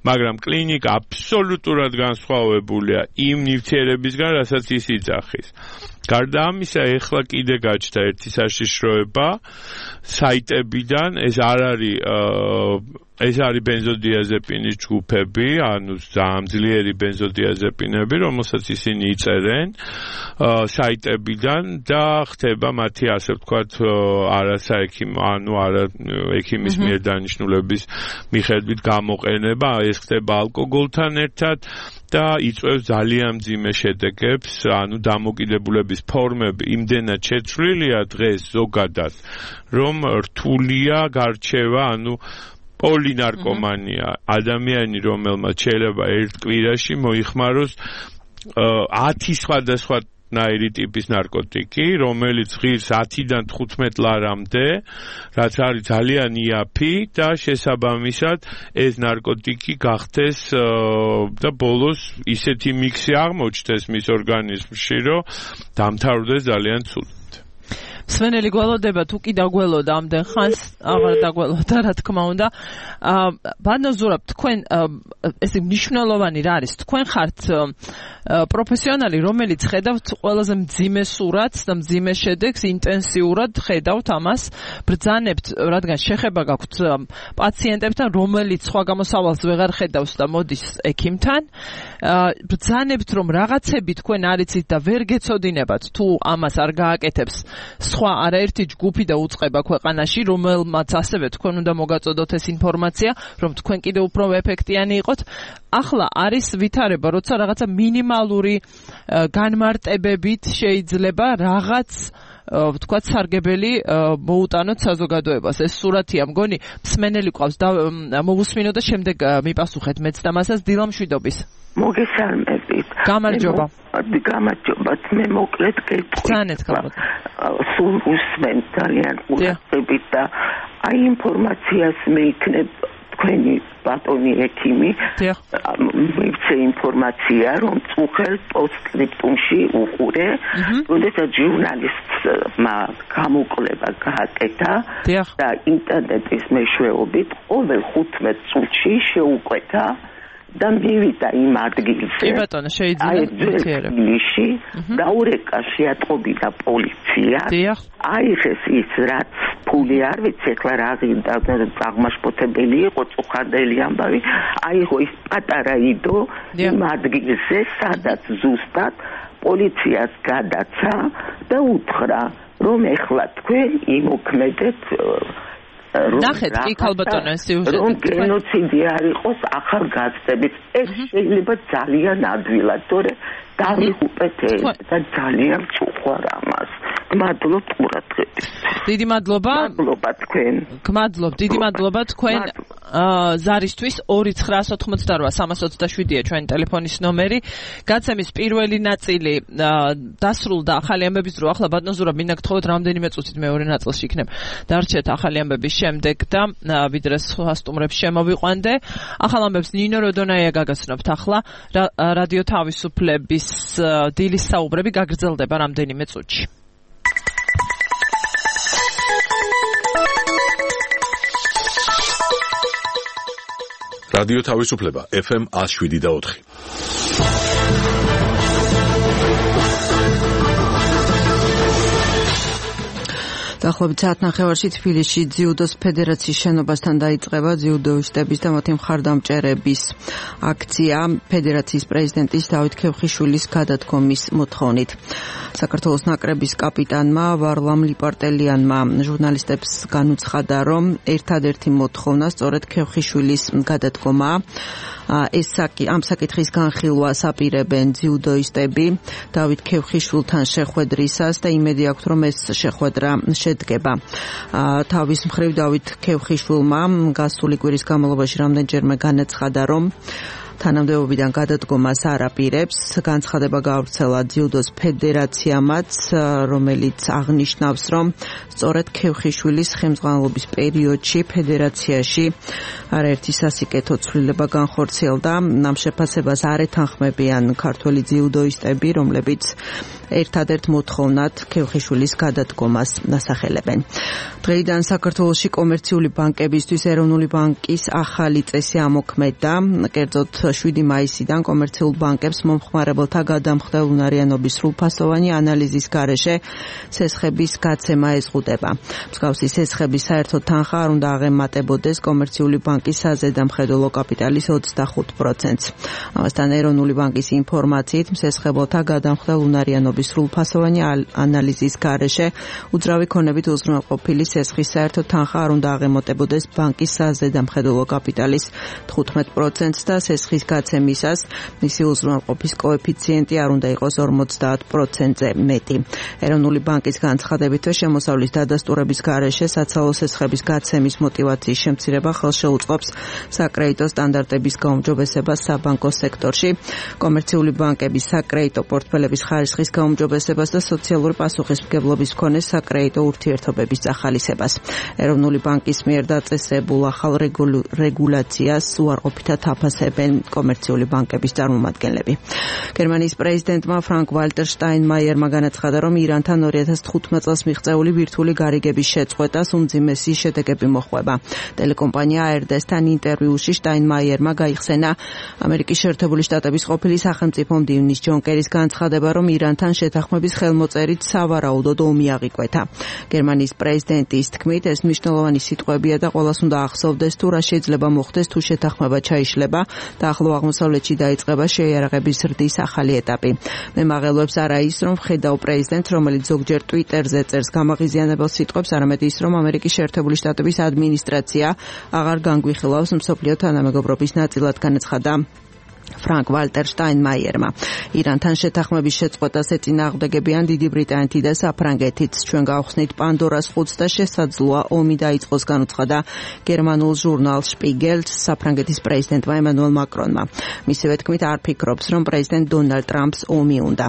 მაგრამ კლინიკა აბსოლუტურად განსხვავებულია იმ ნივთიერებისგან, რასაც ის იძახის. გარდა ამისა, ეხლა კიდე გაჩნდა ერთი საშიშროება საიტებიდან, ეს არ არის ეს არის ბენზოდიაზეპინის ჯგუფები, ანუ ძალიან ძლიერი ბენზოდიაზეპინები, რომელსაც ისინი იწერენ საიტებიდან და ხდება მათი ასე ვთქვათ არასაექიმო, ანუ არა ექიმის მიერ დანიშნულების მიხედვით გამოყენება, ეს ხდება ალკოგოლთან ერთად და იწვევს ძალიან მძიმე შედეგებს, ანუ დამოკიდებულების ფორმები იმდენად შეცვლილია დღეს ზოგადად, რომ რთულია გარჩევა, ანუ პოლინარკომანია, ადამიანი, რომელმაც შეიძლება ერთ კვირაში მოიხმაროს ათი სხვადასხვა ნაირი ტიპის ნარკოტიკი, რომელიც ღირს ათიდან თხუთმეტ ლარამდე, რაც არის ძალიან იაფი და შესაბამისად ეს ნარკოტიკი გახდეს და ბოლოს ისეთი მიქსი აღმოჩნდეს მის ორგანიზმში, რომ დამთავრდეს ძალიან ცუდად. სვენელი გველოდება, თუ კი დაგველოდა ამდენ ხანს, აღარ დაგველოდა, რა თქმა უნდა. ბატონო ზურაბ, თქვენ ეს მნიშვნელოვანი რა არის? თქვენ ხართ პროფესიონალი, რომელიც ხედავთ ყველაზე მძიმე სურათს და მძიმე შედეგს, ინტენსიურად ხედავთ ამას, ბრძანებთ, რადგან შეხება გაქვთ პაციენტებთან, რომელიც სხვა გამოსავალს ვეღარ ხედავს და მოდის ექიმთან, ბრძანებთ, რომ რაღაცები თქვენ არიცით და ვერ გეცოდინებათ, თუ ამას არ გააკეთებს სხვა არაერთი ჯგუფი და უწყება ქვეყანაში, რომელმაც ასევე თქვენ უნდა მოგაწოდოთ ეს ინფორმაცია, რომ თქვენ კიდევ უფრო ეფექტიანი იყოთ. ახლა არის ვითარება, როცა რაღაცა მინიმალური განმარტებებით შეიძლება რაღაც ვთქვათ სარგებელი მოუტანოთ საზოგადოებას. ეს სურათია მგონი, მსმენელი ყავს და მოვუსმინო და შემდეგ მიპასუხეთ მეც და მასაც დილამშვიდობის. მოგესალმებით. გამარჯობა. გამარჯობათ, მე მოკლედ გეტყვით. სულ უსმენ ძალიან ყურადღებით და აი ინფორმაციას მეიქნებ თქვენი ბატონი ექიმი მივცე ინფორმაცია, რომ წუხელ პოსტსკრიპტუმში უყურე, როდესაც ჟურნალისტმა გამოკვლევა გააკეთა და ინტერნეტის მეშვეობით ყოველ ხუთმეტ წუთში შეუკვეთა და მივიდა იმ ადგილზე. კი ბატონო, შეიძლება დაურეკა შეატყობინა პოლიცია. აიღეს ის, რაც რთული არ ვიცი ეხლა რა გინდა აღმაშფოთებელი იყო წუხანდელი ამბავი აიღო ის პატარა იდო იმ ადგილზე სადაც ზუსტად პოლიციას გადაცა და უთხრა რომ ეხლა თქვენ იმოქმედეთ ნახეთ კი ქალბატონო სიუჟეტი რომ გენოციდი არ იყოს ახალგაზრდების ეს შეიძლება ძალიან ადვილად თორე დავიღუპეთ ეს და ძალიან წუხარ ამას მადლობ ყურადღებით დიდი მადლობა მადლობა თქვენ გმადლობ დიდი მადლობა თქვენ ზარისთვის ორი ცხრა ოთხმოცდაოთხ სამას ოცდაშვიდია ჩვენი ტელეფონის ნომერი გაცემის პირველი ნაწილი დასრულდა ახალი ამბების დრო ახლა ბატონო ზურაბ მინდა გთხოვოთ რამდენიმე წუთით მეორე ნაწილში იქნებ დარჩეთ ახალი ამბების შემდეგ და ვიდრე სხვა სტუმრებს შემოვიყვანდე ახალ ამბებს ნინო როდონაია გაგაცნობთ ახლა რადიო თავისუფლების დილის საუბრები გაგრძელდება რამდენიმე წუთში რადიო თავისუფლება ეფ ემ one oh seven და four დაახლოებით საათნახევარში თბილისში ძიუდოს ფედერაციის შენობასთან დაიწყება ძიუდოისტების და მათი მხარდამჭერების აქცია ფედერაციის პრეზიდენტის დავით ქევხიშვილის გადადგომის მოთხოვნით. საქართველოს ნაკრების კაპიტანმა ვარლამ ლიპარტელიანმა ჟურნალისტებს განუცხადა, რომ ერთადერთი მოთხოვნა სწორედ ქევხიშვილის გადადგომაა. ეს ამ საკითხის განხილვას აპირებენ ძიუდოისტები დავით ქევხიშვილთან შეხვედრისას და იმედი აქვთ, რომ ეს შეხვედრა შედგება. თავის მხრივ დავით ქევხიშვილმა გასული კვირის განმავლობაში რამდენჯერმე განაცხადა, რომ თანამდებობიდან გადადგომას არ აპირებს. განცხადება გავრცელა ძიუდოს ფედერაციამაც, რომელიც აღნიშნავს, რომ სწორედ ქევხიშვილის ხელმძღვანელობის პერიოდში ფედერაციაში არაერთი სასიკეთო ცვლილება განხორციელდა. ამ შეფასებას არ ეთანხმებიან ქართველი ძიუდოისტები, რომლებიც ერთადერთ მოთხოვნად ქევხიშვილის გადადგომას ასახელებენ. დღეიდან საქართველოში კომერციული ბანკებისთვის ეროვნული ბანკის ახალი წესი ამოქმედა. კერძოდ შვიდი მაისიდან კომერციულ ბანკებს მომხმარებელთა გადამხდელ უნარიანობის სრულფასოვანი ანალიზის გარეშე სესხების გაცემა ეზღუდება. მსგავსი სესხების საერთო თანხა არ უნდა აღემატებოდეს კომერციული ბანკის საზედამხედველო კაპიტალის ოცდახუთ პროცენტს. ამასთან ეროვნული ბანკის ინფორმაციით სესხებელთა გადამხდელ უნარიანობის სრულფასოვანი ანალიზის გარეშე უძრავი ქონებით უზრუნველყოფილი სესხის საერთო თანხა არ უნდა აღემატებოდეს ბანკის საზედამხედველო კაპიტალის თხუთმეტ პროცენტს და სესხის გაცემისას მისი უზრუნველყოფის კოეფიციენტი არ უნდა იყოს ორმოცდაათ პროცენტზე მეტი. ეროვნული ბანკის განცხადებით შემოსავლის დადასტურების გარეშე საცალო სესხების გაცემის мотиваციის შემცირება ხელშეუწყობს საკრედიტო სტანდარტების გაუმჯობესებას საბანკო სექტორში, კომერციული ბანკების საკრედიტო პორტფელების ხარისხის გაუმჯობესებას და სოციალური პასუხისმგებლობის მქონე საკრედიტო ურთიერთობების წახალისებას. ეროვნული ბანკის მიერ დაწესებულ ახალ რეგულაციას უარყოფითად აფასებენ კომერციული ბანკების წარმომადგენლები. გერმანიის პრეზიდენტმა ფრანკ ვალტერ შტაინმაიერმა განაცხადა, რომ ირანთან ორი ათას თხუთმეტ წელს მიღწეული ბირთვული გარიგების შეწყვეტას უმძიმესი შედეგები მოჰყვება. ტელეკომპანია эй эр დი-სთან ინტერვიუში შტაინმაიერმა გაიხსენა ამერიკის შეერთებული შტატების ყოფილი სახელმწიფო მდივნის ჯონ კერის განცხადება, რომ ირანთან შეთანხმების ხელმოწერით სავარაუდოდ ომი აღიკვეთა. გერმანიის პრეზიდენტის თქმით, ეს მნიშვნელოვანი სიტყვებია და ყველას უნდა ახსოვდეს, თუ რა შეიძლება მოხდეს, თუ შეთანხმება ჩაიშლება და ახლო აღმოსავლეთში დაიწყება შეიარაღების ზრდის ახალი ეტაპი. მე მაღელვებს არა ის, რომ ხედავ პრეზიდენტს, რომელიც ზოგჯერ ტვიტერზე წერს გამაღიზიანებელ სიტყვებს, არამედ ის, რომ ამერიკის შეერთებული შტატების ადმინისტრაცია აღარ განგვიხილავს მსოფლიო თანამეგობრობის ნაწილად, განაცხადა ფრანკ ვალტერ შტაინმაიერმა. ირანთან შეთანხმების შეწყვეტას ეწინააღმდეგებიან დიდი ბრიტანეთი და საფრანგეთიც. ჩვენ გავხსნით პანდორას ხუთს და შესაძლოა ომი დაიწყოს, განუცხადა გერმანულ ჟურნალ შპიგელს საფრანგეთის პრეზიდენტმა ემანუელ მაკრონმა. მისივე თქმით, არ ფიქრობს, რომ პრეზიდენტ დონალდ ტრამპს ომი უნდა.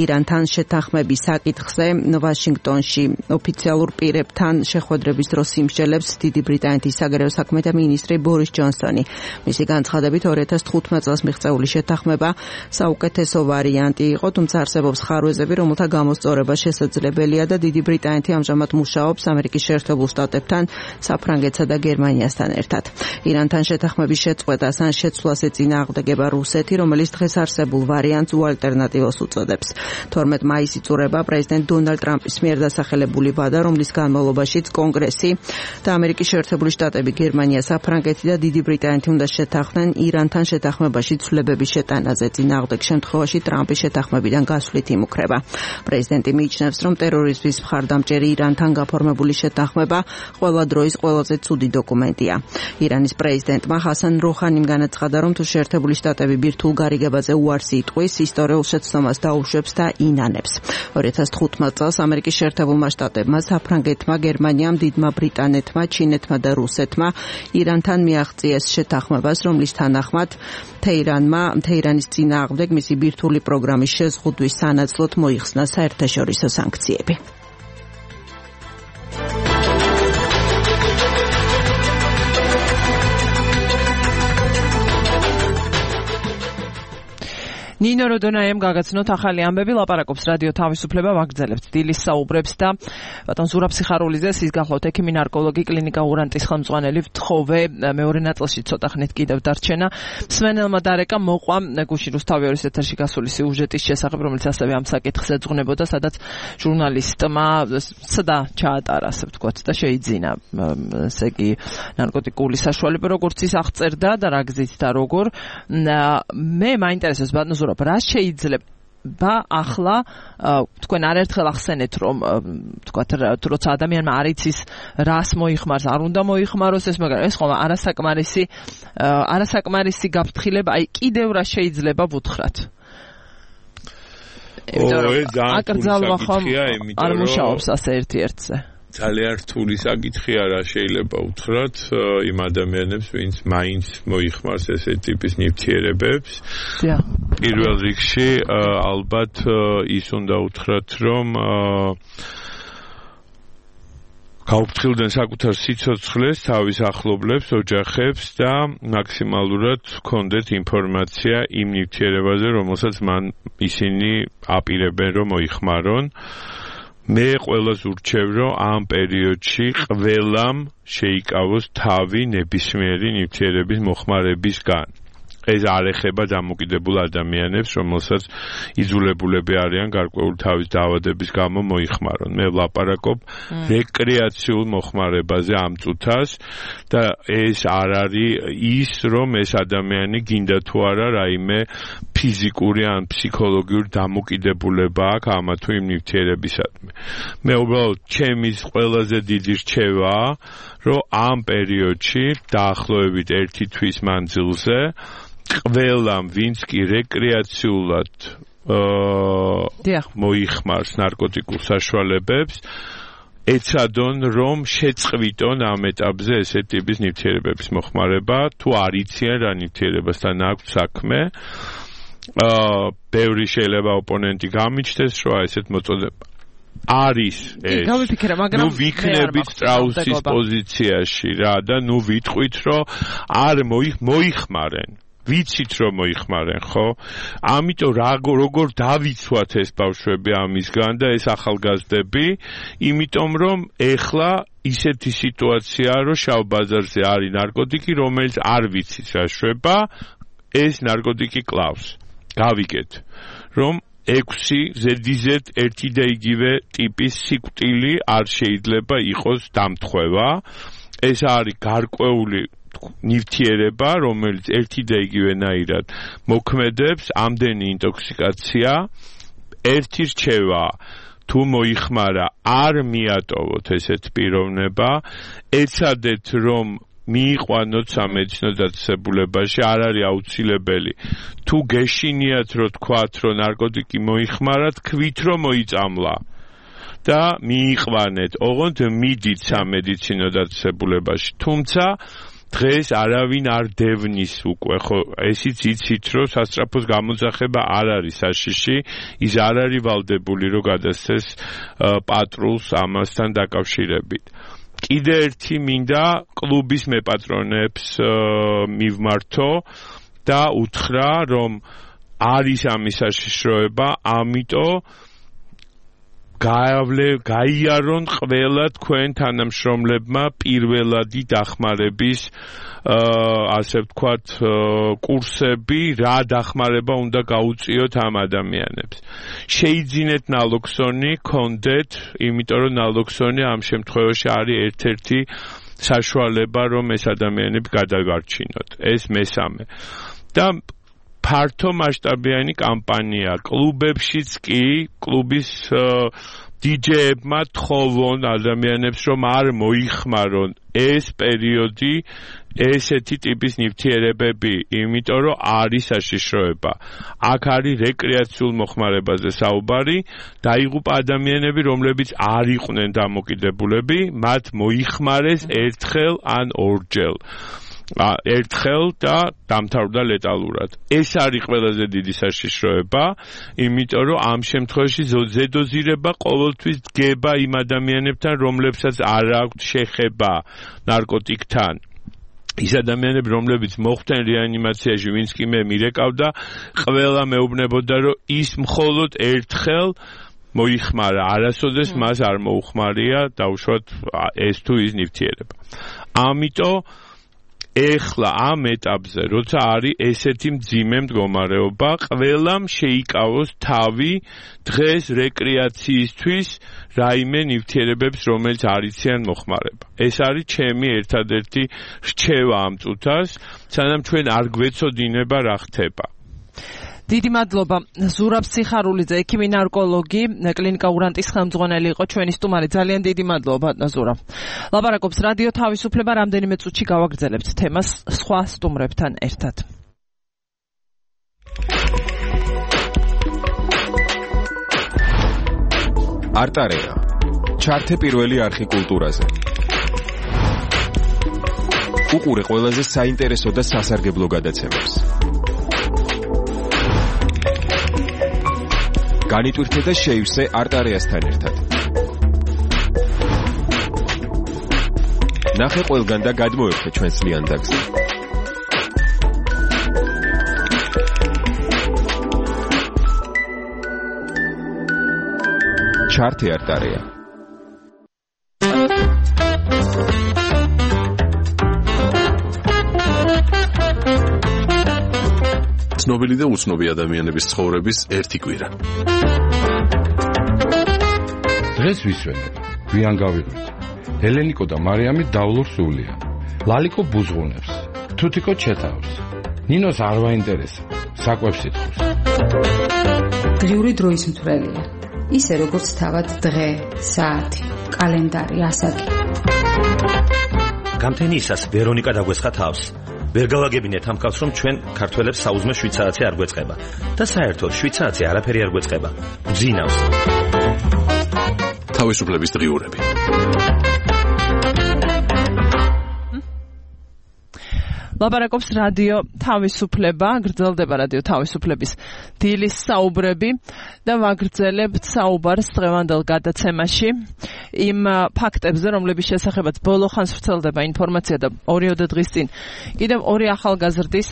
ირანთან შეთანხმების საკითხზე ვაშინგტონში ოფიციალურ პირებთან შეხვედრების დროს იმსჯელებს დიდი ბრიტანეთის საგარეო საქმეთა მინისტრი ბორის ჯონსონი. მისი განცხადებით, ორი ათას თხუთმეტ წელს მიღწეული ერთეული შეთანხმება საუკეთესო ვარიანტი იყო, თუმცა არსებობს ხარვეზები, რომელთა გამოსწორება შესაძლებელია და დიდი ბრიტანეთი ამჟამად მუშაობს ამერიკის შეერთებულ შტატებთან, საფრანგეთსა და გერმანიასთან ერთად. ირანთან შეთანხმების შეწყვეტას ან შეცვლას ეწინააღმდეგება რუსეთი, რომელიც დღეს არსებულ ვარიანტს უალტერნატივოს უწოდებს. თორმეტ მაისს იწურება პრეზიდენტ დონალდ ტრამპის მიერ დასახელებული ვადა, რომლის განმავლობაშიც კონგრესი და ამერიკის შეერთებული შტატები, გერმანია, საფრანგეთი და დიდი ბრიტანეთი უნდა შეთანხმდნენ ირანთან შეთანხმებაში ცვლილებების შეტანაზე. წინააღმდეგ შემთხვევაში ტრამპის შეთანხმებიდან გასვლით იმუქრება. პრეზიდენტი მიიჩნევს, რომ ტერორიზმის მხარდამჭერი ირანთან გაფორმებული შეთანხმება ყველა დროის ყველაზე ცუდი დოკუმენტია. ირანის პრეზიდენტმა ჰასან როჰანიმ განაცხადა, რომ თუ შეერთებული შტატები ბირთვულ გარიგებაზე უარს იტყვის, ისტორიულ შეცდომას დაუშვებს და ინანებს. ორი ათას თხუთმეტ წელს ამერიკის შეერთებულმა შტატებმა, საფრანგეთმა, გერმანიამ, დიდმა ბრიტანეთმა, ჩინეთმა და რუსეთმა ირანთან მიაღწიეს შეთანხმებას, რომლის თანახმად თეირანმა თეირანის წინააღმდეგ მისი ბირთვული პროგრამის შეზღუდვის სანაცვლოდ მოიხსნა საერთაშორისო სანქციები. ნინო როდონაიამ გაგაცნოთ ახალი ამბები, ლაპარაკობს რადიო თავისუფლება, ვაგრძელებთ დილის საუბრებს და ბატონ ზურაბ სიხარულიძეს ის გახლავთ ექიმი ნარკოლოგი კლინიკა ურანტის ხელმძღვანელი ვთხოვე მეორე ნაწილში ცოტა ხნით კიდევ დარჩენა. მსმენელმა დარეკა მოყვა გუშინ რუსთავი ეთერში გასული სიუჟეტის შესახებ, რომელიც ასევე ამ საკითხს ეძღვნებოდა, სადაც ჟურნალისტმა სდა ჩაატარა, ასე ვთქვათ, და შეიძინა ესე იგი ნარკოტიკული საშუალება, როგორც ის აღწერდა და რა გზით და როგორ. მე მაინტერესებს ბატონ რა შეიძლება ახლა თქვენ არაერთხელ ახსენეთ, რომ თქვათ როცა ადამიანმა არ იცის რას მოიხმარს, არ უნდა მოიხმაროს ეს, მაგრამ ეს ხომ არასაკმარისი არასაკმარისი გაფრთხილება, აი კიდევ რა შეიძლება ვუთხრათ? აკრძალვა ხომ არ მუშაობს ასე ერთ-ერთზე. ძალიან რთული საკითხია, რა შეიძლება უთხრათ იმ ადამიანებს, ვინც მაინც მოიხმარს ესე ტიპის ნივთიერებებს. პირველ რიგში ალბათ ის უნდა უთხრათ, რომ გაუფრთხილდნენ საკუთარ სიცოცხლეს, თავის ახლობლებს, ოჯახებს და მაქსიმალურად ჰქონდეთ ინფორმაცია იმ ნივთიერებაზე, რომელსაც მან ისინი აპირებენ რომ მოიხმარონ. მე ყველას ურჩევ, რომ ამ პერიოდში ყველამ შეიკავოს თავი ნებისმიერი ნივთიერების მოხმარებისგან. ეს არ ეხება დამოკიდებულ ადამიანებს, რომელსაც იძულებულები არიან გარკვეული თავის დაავადების გამო მოიხმარონ. მე ვლაპარაკობ რეკრეაციულ მოხმარებაზე ამ წუთას და ეს არ არის ის, რომ ეს ადამიანი გინდა თუ არა რაიმე ფიზიკური ან ფსიქოლოგიური დამოკიდებულება აქვს ამა თუ იმ ნივთიერებისადმი. მე უბრალოდ ჩემი ყველაზე დიდი რჩევაა, რომ ამ პერიოდში დაახლოებით ერთი თვის მანძილზე ყველამ, ვინც კი რეკრეაციულად მოიხმარს ნარკოტიკულ საშუალებებს, ეცადონ, რომ შეწყვიტონ ამ ეტაპზე ესე ტიპის ნივთიერებების მოხმარება, თუ არ იციან რა ნივთიერებასთან აქვს საქმე. ბევრი შეიძლება ოპონენტი გამიჩნდეს, რომ ესეთ მოწოდება არის ეს. ნუ ვიქნებით სტრაუსის პოზიციაში რა და ნუ ვიტყვით, რომ არ მოიხმარენ. ვიცით რომ მოიხმარენ, ხო? ამიტომ როგორ დავიცვათ ეს ბავშვები ამისგან და ეს ახალგაზრდები, იმიტომ რომ ეხლა ისეთი სიტუაციაა, რომ შავ ბაზარზე არის ნარკოტიკი, რომელიც არ ვიცით რა შვება, ეს ნარკოტიკი კლავს. გავიგეთ, რომ ექვსი ზედიზედ ერთი და იგივე ტიპის სიკვდილი არ შეიძლება იყოს დამთხევა. ეს არის გარკვეული ნივთიერება, რომელიც ერთი და იგივენაირად მოქმედებს, ამდენი ინტოქსიკაცია. ერთი რჩევა, თუ მოიხმარა, არ მიატოვოთ ესეთ პიროვნება, ეცადეთ რომ მიიყვანოთ სამედიცინო დაწესებულებაში, არ არის აუცილებელი. თუ გეშინიათ რომ თქვათ, რომ ნარკოტიკი მოიხმარათ, ქვით რომ მოიწამლა და მიიყვანეთ, ოღონდ მიდით სამედიცინო დაწესებულებაში. თუმცა დღეს არავინ არ დევნის უკვე, ხო, ესიც იცით, რომ სასწრაფოს გამოძახება არ არის საშიში, ის არ არის ვალდებული, რომ გადასცეს პატრულს ამასთან დაკავშირებით. კიდე ერთი მინდა კლუბის მეპატრონებს მივმართო და უთხრა, რომ არის ამის საშიშროება, ამიტომ გაავლე გაიარონ ყველა თქვენ თანამშრომლებმა პირველადი დახმარების ასე ვთქვათ კურსები, რა დახმარება უნდა გაუწიოთ ამ ადამიანებს. შეიძინეთ ნალოქსონი, კონდეთ, იმიტომ რომ ნალოქსონი ამ შემთხვევაში არის ერთ-ერთი საშუალება, რომ ეს ადამიანები გადაგარჩინოთ. ეს მესამე. და ფართო მასშტაბიანი კამპანია კლუბებშიც კი კლუბის დიჯეებმა თხოვონ ადამიანებს რომ არ მოიხმარონ ეს პერიოდი ესეთი ტიპის ნივთიერებები, იმიტომ რომ არის საშიშროება. აქ არის რეკრეაციულ მოხმარებაზე საუბარი, დაიღუპა ადამიანები, რომლებიც არ იყვნენ დამოკიდებულები, მათ მოიხმარეს ერთხელ ან ორჯერ. ერთხელ და დამთავრდა ლეტალურად. ეს არის ყველაზე დიდი საშიშროება, იმიტომ რომ ამ შემთხვევაში ზედოზირება ყოველთვის დგება იმ ადამიანებთან, რომლებსაც არ აქვთ შეხება ნარკოტიკთან. ის ადამიანები, რომლებიც მოხვდნენ რეანიმაციაში, ვინც კი მე მირეკავდა, ყველა მეუბნებოდა, რომ ის მხოლოდ ერთხელ მოიხმარა, არასოდეს მას არ მოუხმარია დაუშვათ ეს თუ ის ნივთიერება. ამიტომ ეხლა ამ ეტაპზე, როცა არის ესეთი მძიმე მდგომარეობა, ყველამ შეიკავოს თავი დღეს რეკრეაციისთვის რაიმე ნივთიერებებს, რომელიც არიციან მოხმარება. ეს არის ჩემი ერთადერთი რჩევა ამ წუთას, სანამ ჩვენ არ გვეცოდინება რა ხდება. დიდი მადლობა ზურაბ სიხარულიძე, ექიმი ნარკოლოგი, კლინიკა ურანტის ხელმძღვანელი იყო ჩვენი სტუმარი. ძალიან დიდი მადლობა ბატონო ზურაბ. ლაპარაკობს რადიო თავისუფლება, რამდენიმე წუთში გავაგრძელებთ თემას სხვა სტუმრებთან ერთად. არტარეა. ჩართე პირველი არხი კულტურაზე. უყურე ყველაზე საინტერესო და სასარგებლო გადაცემებს. განიტვირთე და შეივსე არტარეასთან ერთად. ნახე ყველგან და გადმოერთე ჩვენს ლიანდაგზე. ჩართე არტარეა. ცნობილი და უცნობი ადამიანების ცხოვრების ერთი კვირა. დღეს ვისვენებ, გვიან გავიღვით. ელენიკო და მარიამი დავლურ სულია. ლალიკო ბუზღუნებს, თუთიკო ჩეთავს. ნინოს არ ვაინტერესა, საკვებს ითხოვს. დღიური დროის მთვრელია. ისე როგორც თავად დღე, საათი, კალენდარი, ასაკი. გამთენიისას ვერონიკა დაგვესხა თავს. ვერ გავაგებინეთ ამ კაცს, რომ ჩვენ ქართველებს საუზმე შვიცარიცი არ გვეწყება და საერთოდ შვიცარიცი არაფერი არ გვეწყება. გძინავს. თავისუფლების დღიურები. ლაპარაკობს რადიო თავისუფლება, გრძელდება რადიო თავისუფლების დილის საუბრები და ვაგრძელებთ საუბარს დღევანდელ გადაცემაში იმ ფაქტებზე, რომლების შესახებაც ბოლო ხანს ვრცელდება ინფორმაცია და ორიოდე დღის წინ კიდევ ორი ახალგაზრდის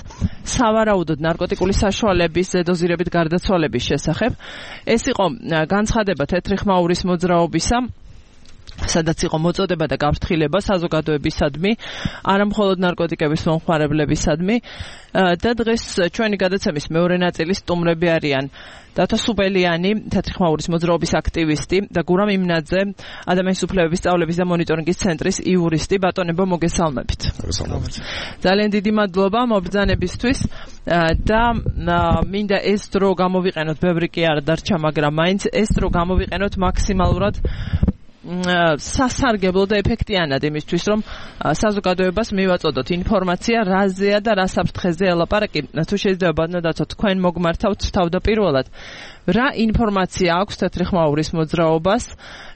სავარაუდოდ ნარკოტიკული საშუალების ზედოზირებით გარდაცვალების შესახებ. ეს იყო განცხადება თეთრი ხმაურის მოძრაობისა, სადაც იყო მოწოდება და გაფრთხილება საზოგადოებისადმი, არა მხოლოდ ნარკოტიკების მომხმარებლებისადმი. და დღეს ჩვენი გადაცემის მეორე ნაწილის სტუმრები არიან დათა სუბელიანი, თეთრი ხმაურის მოძრაობის აქტივისტი და გურამ იმნაძე, ადამიანის უფლებების სწავლების და მონიტორინგის ცენტრის იურისტი. ბატონებო, მოგესალმებით. ძალიან დიდი მადლობა მობრძანებისთვის და მინდა ეს დრო გამოვიყენოთ, ბევრი კი არ დარჩა, მაგრამ მაინც ეს დრო გამოვიყენოთ მაქსიმალურად სასარგებლო და ეფექტიანად იმისთვის, რომ საზოგადოებას მივაწოდოთ ინფორმაცია, რაზეა და რა საფრთხეზე ელაპარაკი. თუ შეიძლება ბატონო დათო, თქვენ მოგმართავთ თავდაპირველად, რა ინფორმაცია აქვს თეთრი ხმაურის მოძრაობას,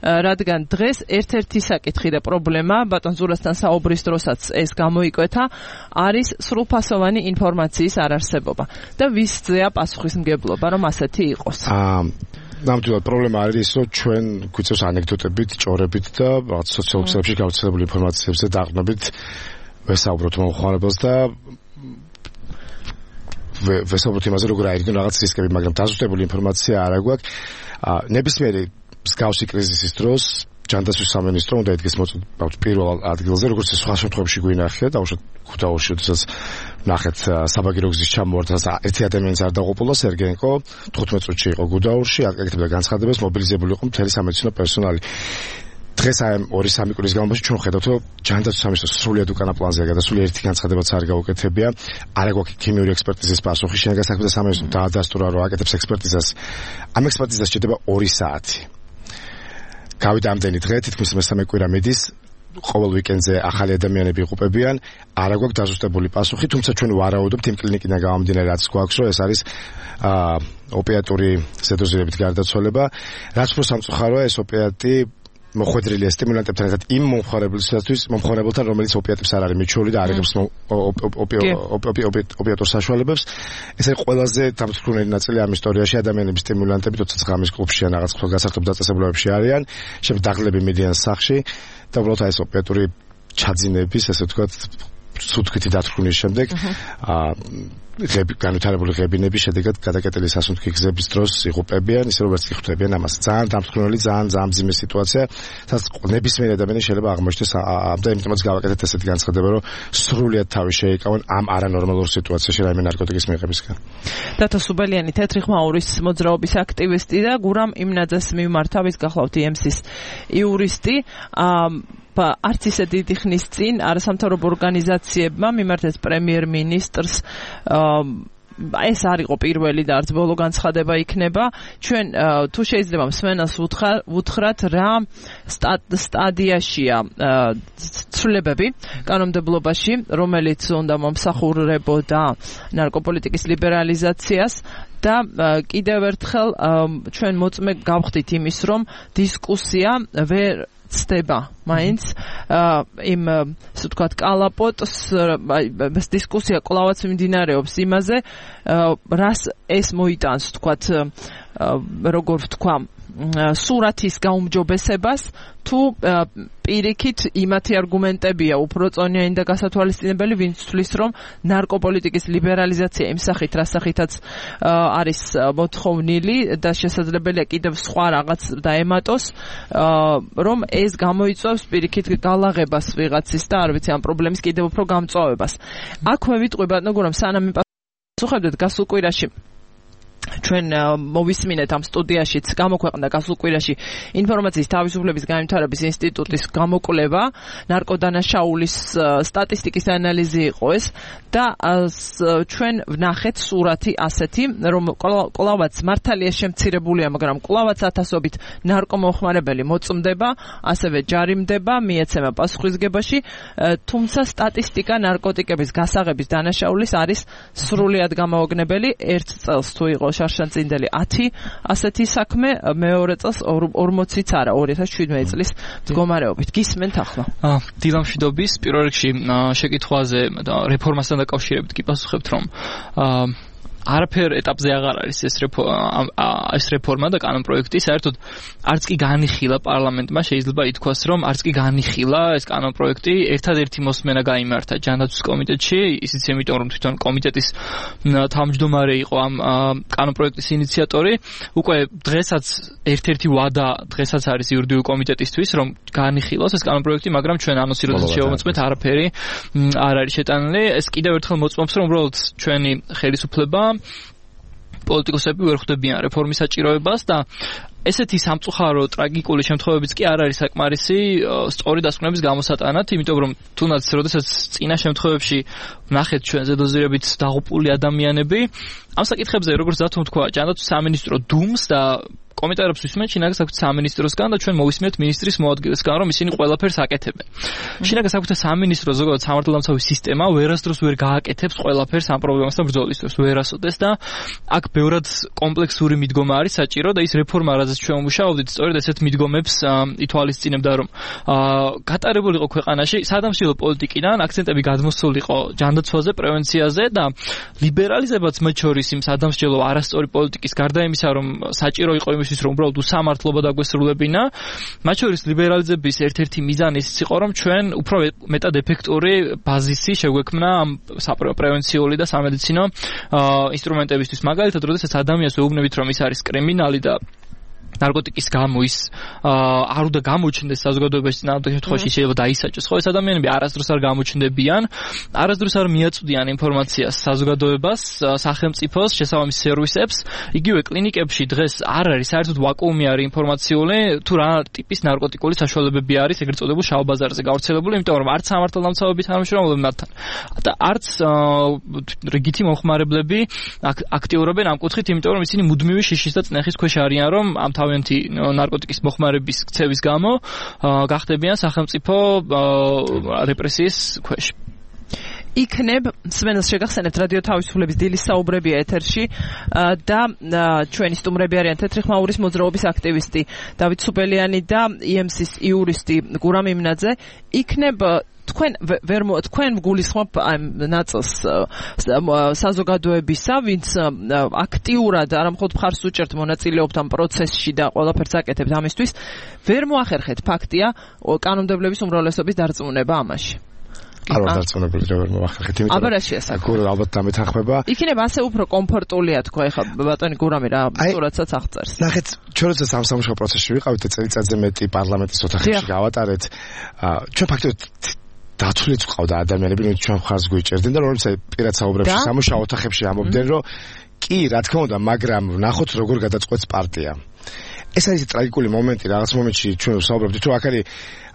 რადგან დღეს ერთ-ერთი საკითხი და პრობლემა, ბატონ ზურასთან საუბრის დროსაც ეს გამოიკვეთა, არის სრულფასოვანი ინფორმაციის არარსებობა. და ვისზეა პასუხისმგებლობა, რომ ასეთი იყოს? ნამდვილად პრობლემა არის, რომ ჩვენ გვიწევს ანეკდოტებით, ჭორებით და სოციალურ ქსელებში გავრცელებული ინფორმაციებზე დაყრდნობით ვესაუბროთ მომხმარებელს და ვესაუბროთ იმაზე, როგორ აიგნო რაღაც რისკები, მაგრამ დაზუსტებული ინფორმაცია არ აქვს. ნებისმიერი მსგავსი კრიზისის დროს ჯანდაცვის სამინისტრო უნდა ედგეს მოწოდებით პირველ ადგილზე, როგორც სხვა შემთხვევებში გვინახია, დაუშვათ ქუთაისში, როდესაც ნახეთ საბაგირო გზის ჩამოვარდა და ერთი ადამიანის არ დაუყოლა სერგენკო, თხუთმეტ წუთში იყო გუდაურში, აკეთებდა განცხადებას, მობილიზებული იყო მთელი სამედიცინო პერსონალი. დღეს აი ორი სამი კვირის განმავლობაში ჩვენ ხედავთ, რომ ჯანდაცვის სამინისტრო სრულიად უკანა პლანზეა გადასული, ერთი განცხადებაც არ გაუკეთებია. არ აქვს ქიმიური ექსპერტიზის პასუხი, შინაგან საქმეთა სამინისტრო დაადასტურა, რომ აკეთებს ექსპერტიზას. ამ ექსპერტიზას შედება ორი საათი. გავიდა ამდენი დღე, თითქმის მესამე კვირა მიდის, ყოველ ვიკენდზე ახალი ადამიანები იღუპებიან, არ აქვს დაზუსტებული პასუხი, თუმცა ჩვენ ვარაუდობთ იმ კლინიკიდან გამომდინარე, რაც გვაქვს, რომ ეს არის აა ოპიატური ზედოზირებით გარდაცვალება, რაც უფრო სამწუხაროა, ეს ოპიატი მოხვედრილია სტიმულანტებთან ერთად იმ მომხმარებელთათვის, მომხმარებელთან, რომელიც ოპიატებს არ არის მიჩვეული და არ იღებს ოპიატორ საშუალებებს. ეს არის ყველაზე დამთვრუნელი ნაწილი ამ ისტორიაში. ადამიანების სტიმულანტები, თორსა ღამის კლუბში ან რაღაც გასართობ დაწესებულებებში არიან, შემდეგ დაღლები მიდიან სახლში და უბრალოდ ეს ოპიატური ჩაძინების, ესე ვთქვათ, სუთქვითი დათრგუნის შემდეგ აა ღები განვითარებული ღებინების შედეგად გადაკეტილი სასუნთქი გზების დროს იღუპებიან, ისე რომ ვერც კი ხვდებიან ამას. ძალიან დამთვრუნელი, ძალიან ძალიან მძიმე სიტუაცია, სადაც ნებისმიერ ადამიანს შეიძლება აღმოჩნდეს და იმიტომაც გავაკეთეთ ესეთი განცხადება, რომ სრულიად თავი შეიკავონ ამ არანორმალურ სიტუაციაში რაიმე ნარკოტიკის მიღებისგან. დათო სუბელიანი, თეთრი ხმაურის მოძრაობის აქტივისტი და გურამ იმნაძეს მიმართა, ვის გახლავთ ი ემ სის იურისტი. არც ისე დიდი ხნის წინ არასამთავრობო ორგანიზაციებმა მიმართეს პრემიერ-მინისტრს, ეს არ იყო პირველი და არც ბოლო განცხადება იქნება. ჩვენ თუ შეიძლება მსმენელს ვუთხრათ, რა სტადიაშია ცვლილებები კანონმდებლობაში, რომელიც უნდა მომსახურებოდა ნარკოპოლიტიკის ლიბერალიზაციას და კიდევ ერთხელ ჩვენ მოწმე გავხდით იმის, რომ დისკუსია ვერ ცდება მაინც იმ ასე ვთქვათ კალაპოტს, ეს დისკუსია კვლავაც მიმდინარეობს იმაზე, რას ეს მოიტანს ვთქვათ, როგორ ვთქვა, სურათის გაუმჯობესებას, თუ პირიქით იმათი არგუმენტებია უფრო წონიანი და გასათვალისწინებელი, ვინც თვლის, რომ ნარკოპოლიტიკის ლიბერალიზაცია იმ სახით, რა სახითაც არის მოთხოვნილი და შესაძლებელია კიდევ სხვა რაღაც დაემატოს, რომ ეს გამოიწვევს პირიქით გალაღებას ვიღაცის და არ ვიცი ამ პრობლემის კიდევ უფრო გამწვავებას. აქვე ვიტყვი ბატონო გურამ, სანამ იმპასუხებდეთ გასულ კვირაში ჩვენ მოვისმინეთ ამ სტუდიაშიც გამოქვეყნდა გასულ კვირაში ინფორმაციის თავისუფლების განვითარების ინსტიტუტის გამოკვლევა, ნარკოდანაშაულის სტატისტიკის ანალიზი იყო ეს და ჩვენ ვნახეთ სურათი ასეთი, რომ კვლავაც მართალია შემცირებულია, მაგრამ კვლავაც ათასობით ნარკომომხმარებელი მოწმდება, ასევე ჯარიმდება, მიეცემა პასუხისგებაში, თუმცა სტატისტიკა ნარკოტიკების გასაღების დანაშაულის არის სრულიად გამაოგნებელი. ერთ წელს თუ იყო შარშანწინდელი ათი ასეთი საქმე, მეორე წელს ორმოციც არა, ორი ათას შვიდმეტი წლის მდგომარეობით. გისმენთ ახლა? აა დილამშვიდობის, პირველ რიგში შეკითხვაზე და რეფორმასთან დაკავშირებით კი პასუხებთ, რომ აა არაფერ ეტაპზე აღარ არის ეს ეს რეფორმა და კანონპროექტი, საერთოდ არც კი განიხილა პარლამენტმა, შეიძლება ითქვას, რომ არც კი განიხილა ეს კანონპროექტი, ერთადერთი მოსმენა გაიმართა ჯანდაცვის კომიტეტში, ისიც იმიტომ, რომ თვითონ კომიტეტის თავმჯდომარე იყო ამ კანონპროექტის ინიციატორი. უკვე დღესაც ერთ-ერთი ვადა დღესაც არის იურიდიული კომიტეტისთვის, რომ განიხილოს ეს კანონპროექტი, მაგრამ ჩვენ ანონსი როდესაც შევამოწმეთ, არაფერი არ არის შეტანილი. ეს კიდევ ერთხელ მოწმობს, რომ უბრალოდ ჩვენი ხელისუფლება პოლიტიკოსები ვერ ხვდებიან რეფორმის საჭიროებას და ესეთი სამწუხარო ტრაგიკული შემთხვევებიც კი არ არის საკმარისი სწორი დასკვნების გამოსატანად, იმიტომ რომ თუნდაც როდესაც წინა შემთხვევებში ნახეთ ჩვენ ზედოზირებით დაღუპული ადამიანები, ამ საკითხებზე როგორც დათომ თქვა, ჯანდაცვის სამინისტრო დუმს და კომენტარებს ვისმენთ შინაგან საქმეთა სამინისტროსგან და ჩვენ მოვისმენთ მინისტრის მოადგილესგან, რომ ისინი ყველაფერს აკეთებენ. შინაგან საქმეთა სამინისტრო ზოგადად სამართალდამცავი სისტემა ვერასდროს ვერ გააკეთებს ყველაფერს ამ პრობლემასთან ბრძოლისთვის, ვერასოდეს და აქ ბევრად კომპლექსური მიდგომა არის საჭირო და ის რეფორმა, რაზეც ჩვენ ვმუშაობდით, სწორედ ესეთ მიდგომებს ითვალისწინებდა, რომ გატარებული იყო ქვეყანაში სადამსჯელო პოლიტიკიდან აქცენტები გადმოსულიყო ჯანდაცვაზე, პრევენციაზე და ლიბერალიზებაც მათ შორის იმ სადამსჯელო არასწორი პოლიტიკის გარდა იმისა, რომ საჭირო იყო იმის იმისთვის რომ უბრალოდ უსამართლობა დაგვესრულებინა. მათ შორის ლიბერალიზების ერთ-ერთი მიზანი ის იყო რომ ჩვენ უფრო მეტად ეფექტური ბაზისი შეგვექმნა ამ საპრევენციული და სამედიცინო ინსტრუმენტებისთვის. მაგალითად, როდესაც ადამიანს ვეუბნებით რომ ის არის კრიმინალი და ნარკოტიკის გამო ის არ უნდა გამოჩნდეს საზოგადოებაში, ნამდვილ შემთხვევაში შეიძლება დაისაჯოს. ხო, ეს ადამიანები არასდროს არ გამოჩნდებიან, არასდროს არ მიაწვდიან ინფორმაციას საზოგადოებას, სახელმწიფოს, შესაბამის სერვისებს. იგივე კლინიკებში დღეს არ არის საერთოდ ვაკუუმი არის ინფორმაციული, თუ რა ტიპის ნარკოტიკული საშუალებები არის ეგრეთ წოდებულ შავ ბაზარზე გავრცელებული, იმიტომ რომ არც სამართალდამცავები თანამშრომლობენ მათთან და არც რიგითი მომხმარებლები აქტიურობენ ამ კუთხით, იმიტომ რომ ისინი მუდმივი შიშის და წნეხის ქვეშ არიან, რომ ამ თავიანთი ნარკოტიკის მოხმარების ქცევის გამო გახდებიან სახელმწიფო რეპრესიის ქვეშ. იქნებ სვენელს შეგახსენებთ რადიო თავისუფლების დილის საუბრებია ეთერში და ჩვენი სტუმრები არიან თეთრი ხმაურის მოძრაობის აქტივისტი დავით სუბელიანი და ი ემ სის იურისტი გურამ იმნაძე. იქნებ თქვენ ვერ თქვენ გულისხმობ ამ ნაწილს საზოგადოებისა, ვინც აქტიურად არ მხოლოდ მხარს უჭერთ მონაწილეობთ ამ პროცესში და ყველაფერს აკეთებთ ამისთვის, ვერ მოახერხეთ ფაქტია კანონმდებლობის უმრავლესობის დარწმუნება ამაში. არ ვარ დარწმუნებული რომ ვერ მოახერხეთ, იმიტომ აბა რა შეასახა. გურო ალბათ დამეთანხმება. იქნება ასე უფრო კომფორტულია თქვა ეხლა ბატონი გურამი რა სტურაცაც აღწერს. ნახეთ, ჩვენ როდესაც ამ სამუშაო პროცესში ვიყავით და წელიწადზე მეტი პარლამენტის ოთახებში გავატარეთ, ჩვენ ფაქტობრივად დაცულიც ყავდა ადამიანები, რომ ჩვენ ხარს გვიჭერდნენ და როცა პირად საუბრებში სამუშაო ოთახებში ამობდნენ, რომ კი, რა თქმა უნდა, მაგრამ ნახოთ როგორ გადაწყვეტს პარტია. ეს არის ტრაგიკული მომენტი, რაღაც მომენტში ჩვენ ვსაუბრობთ, რომ აქ არის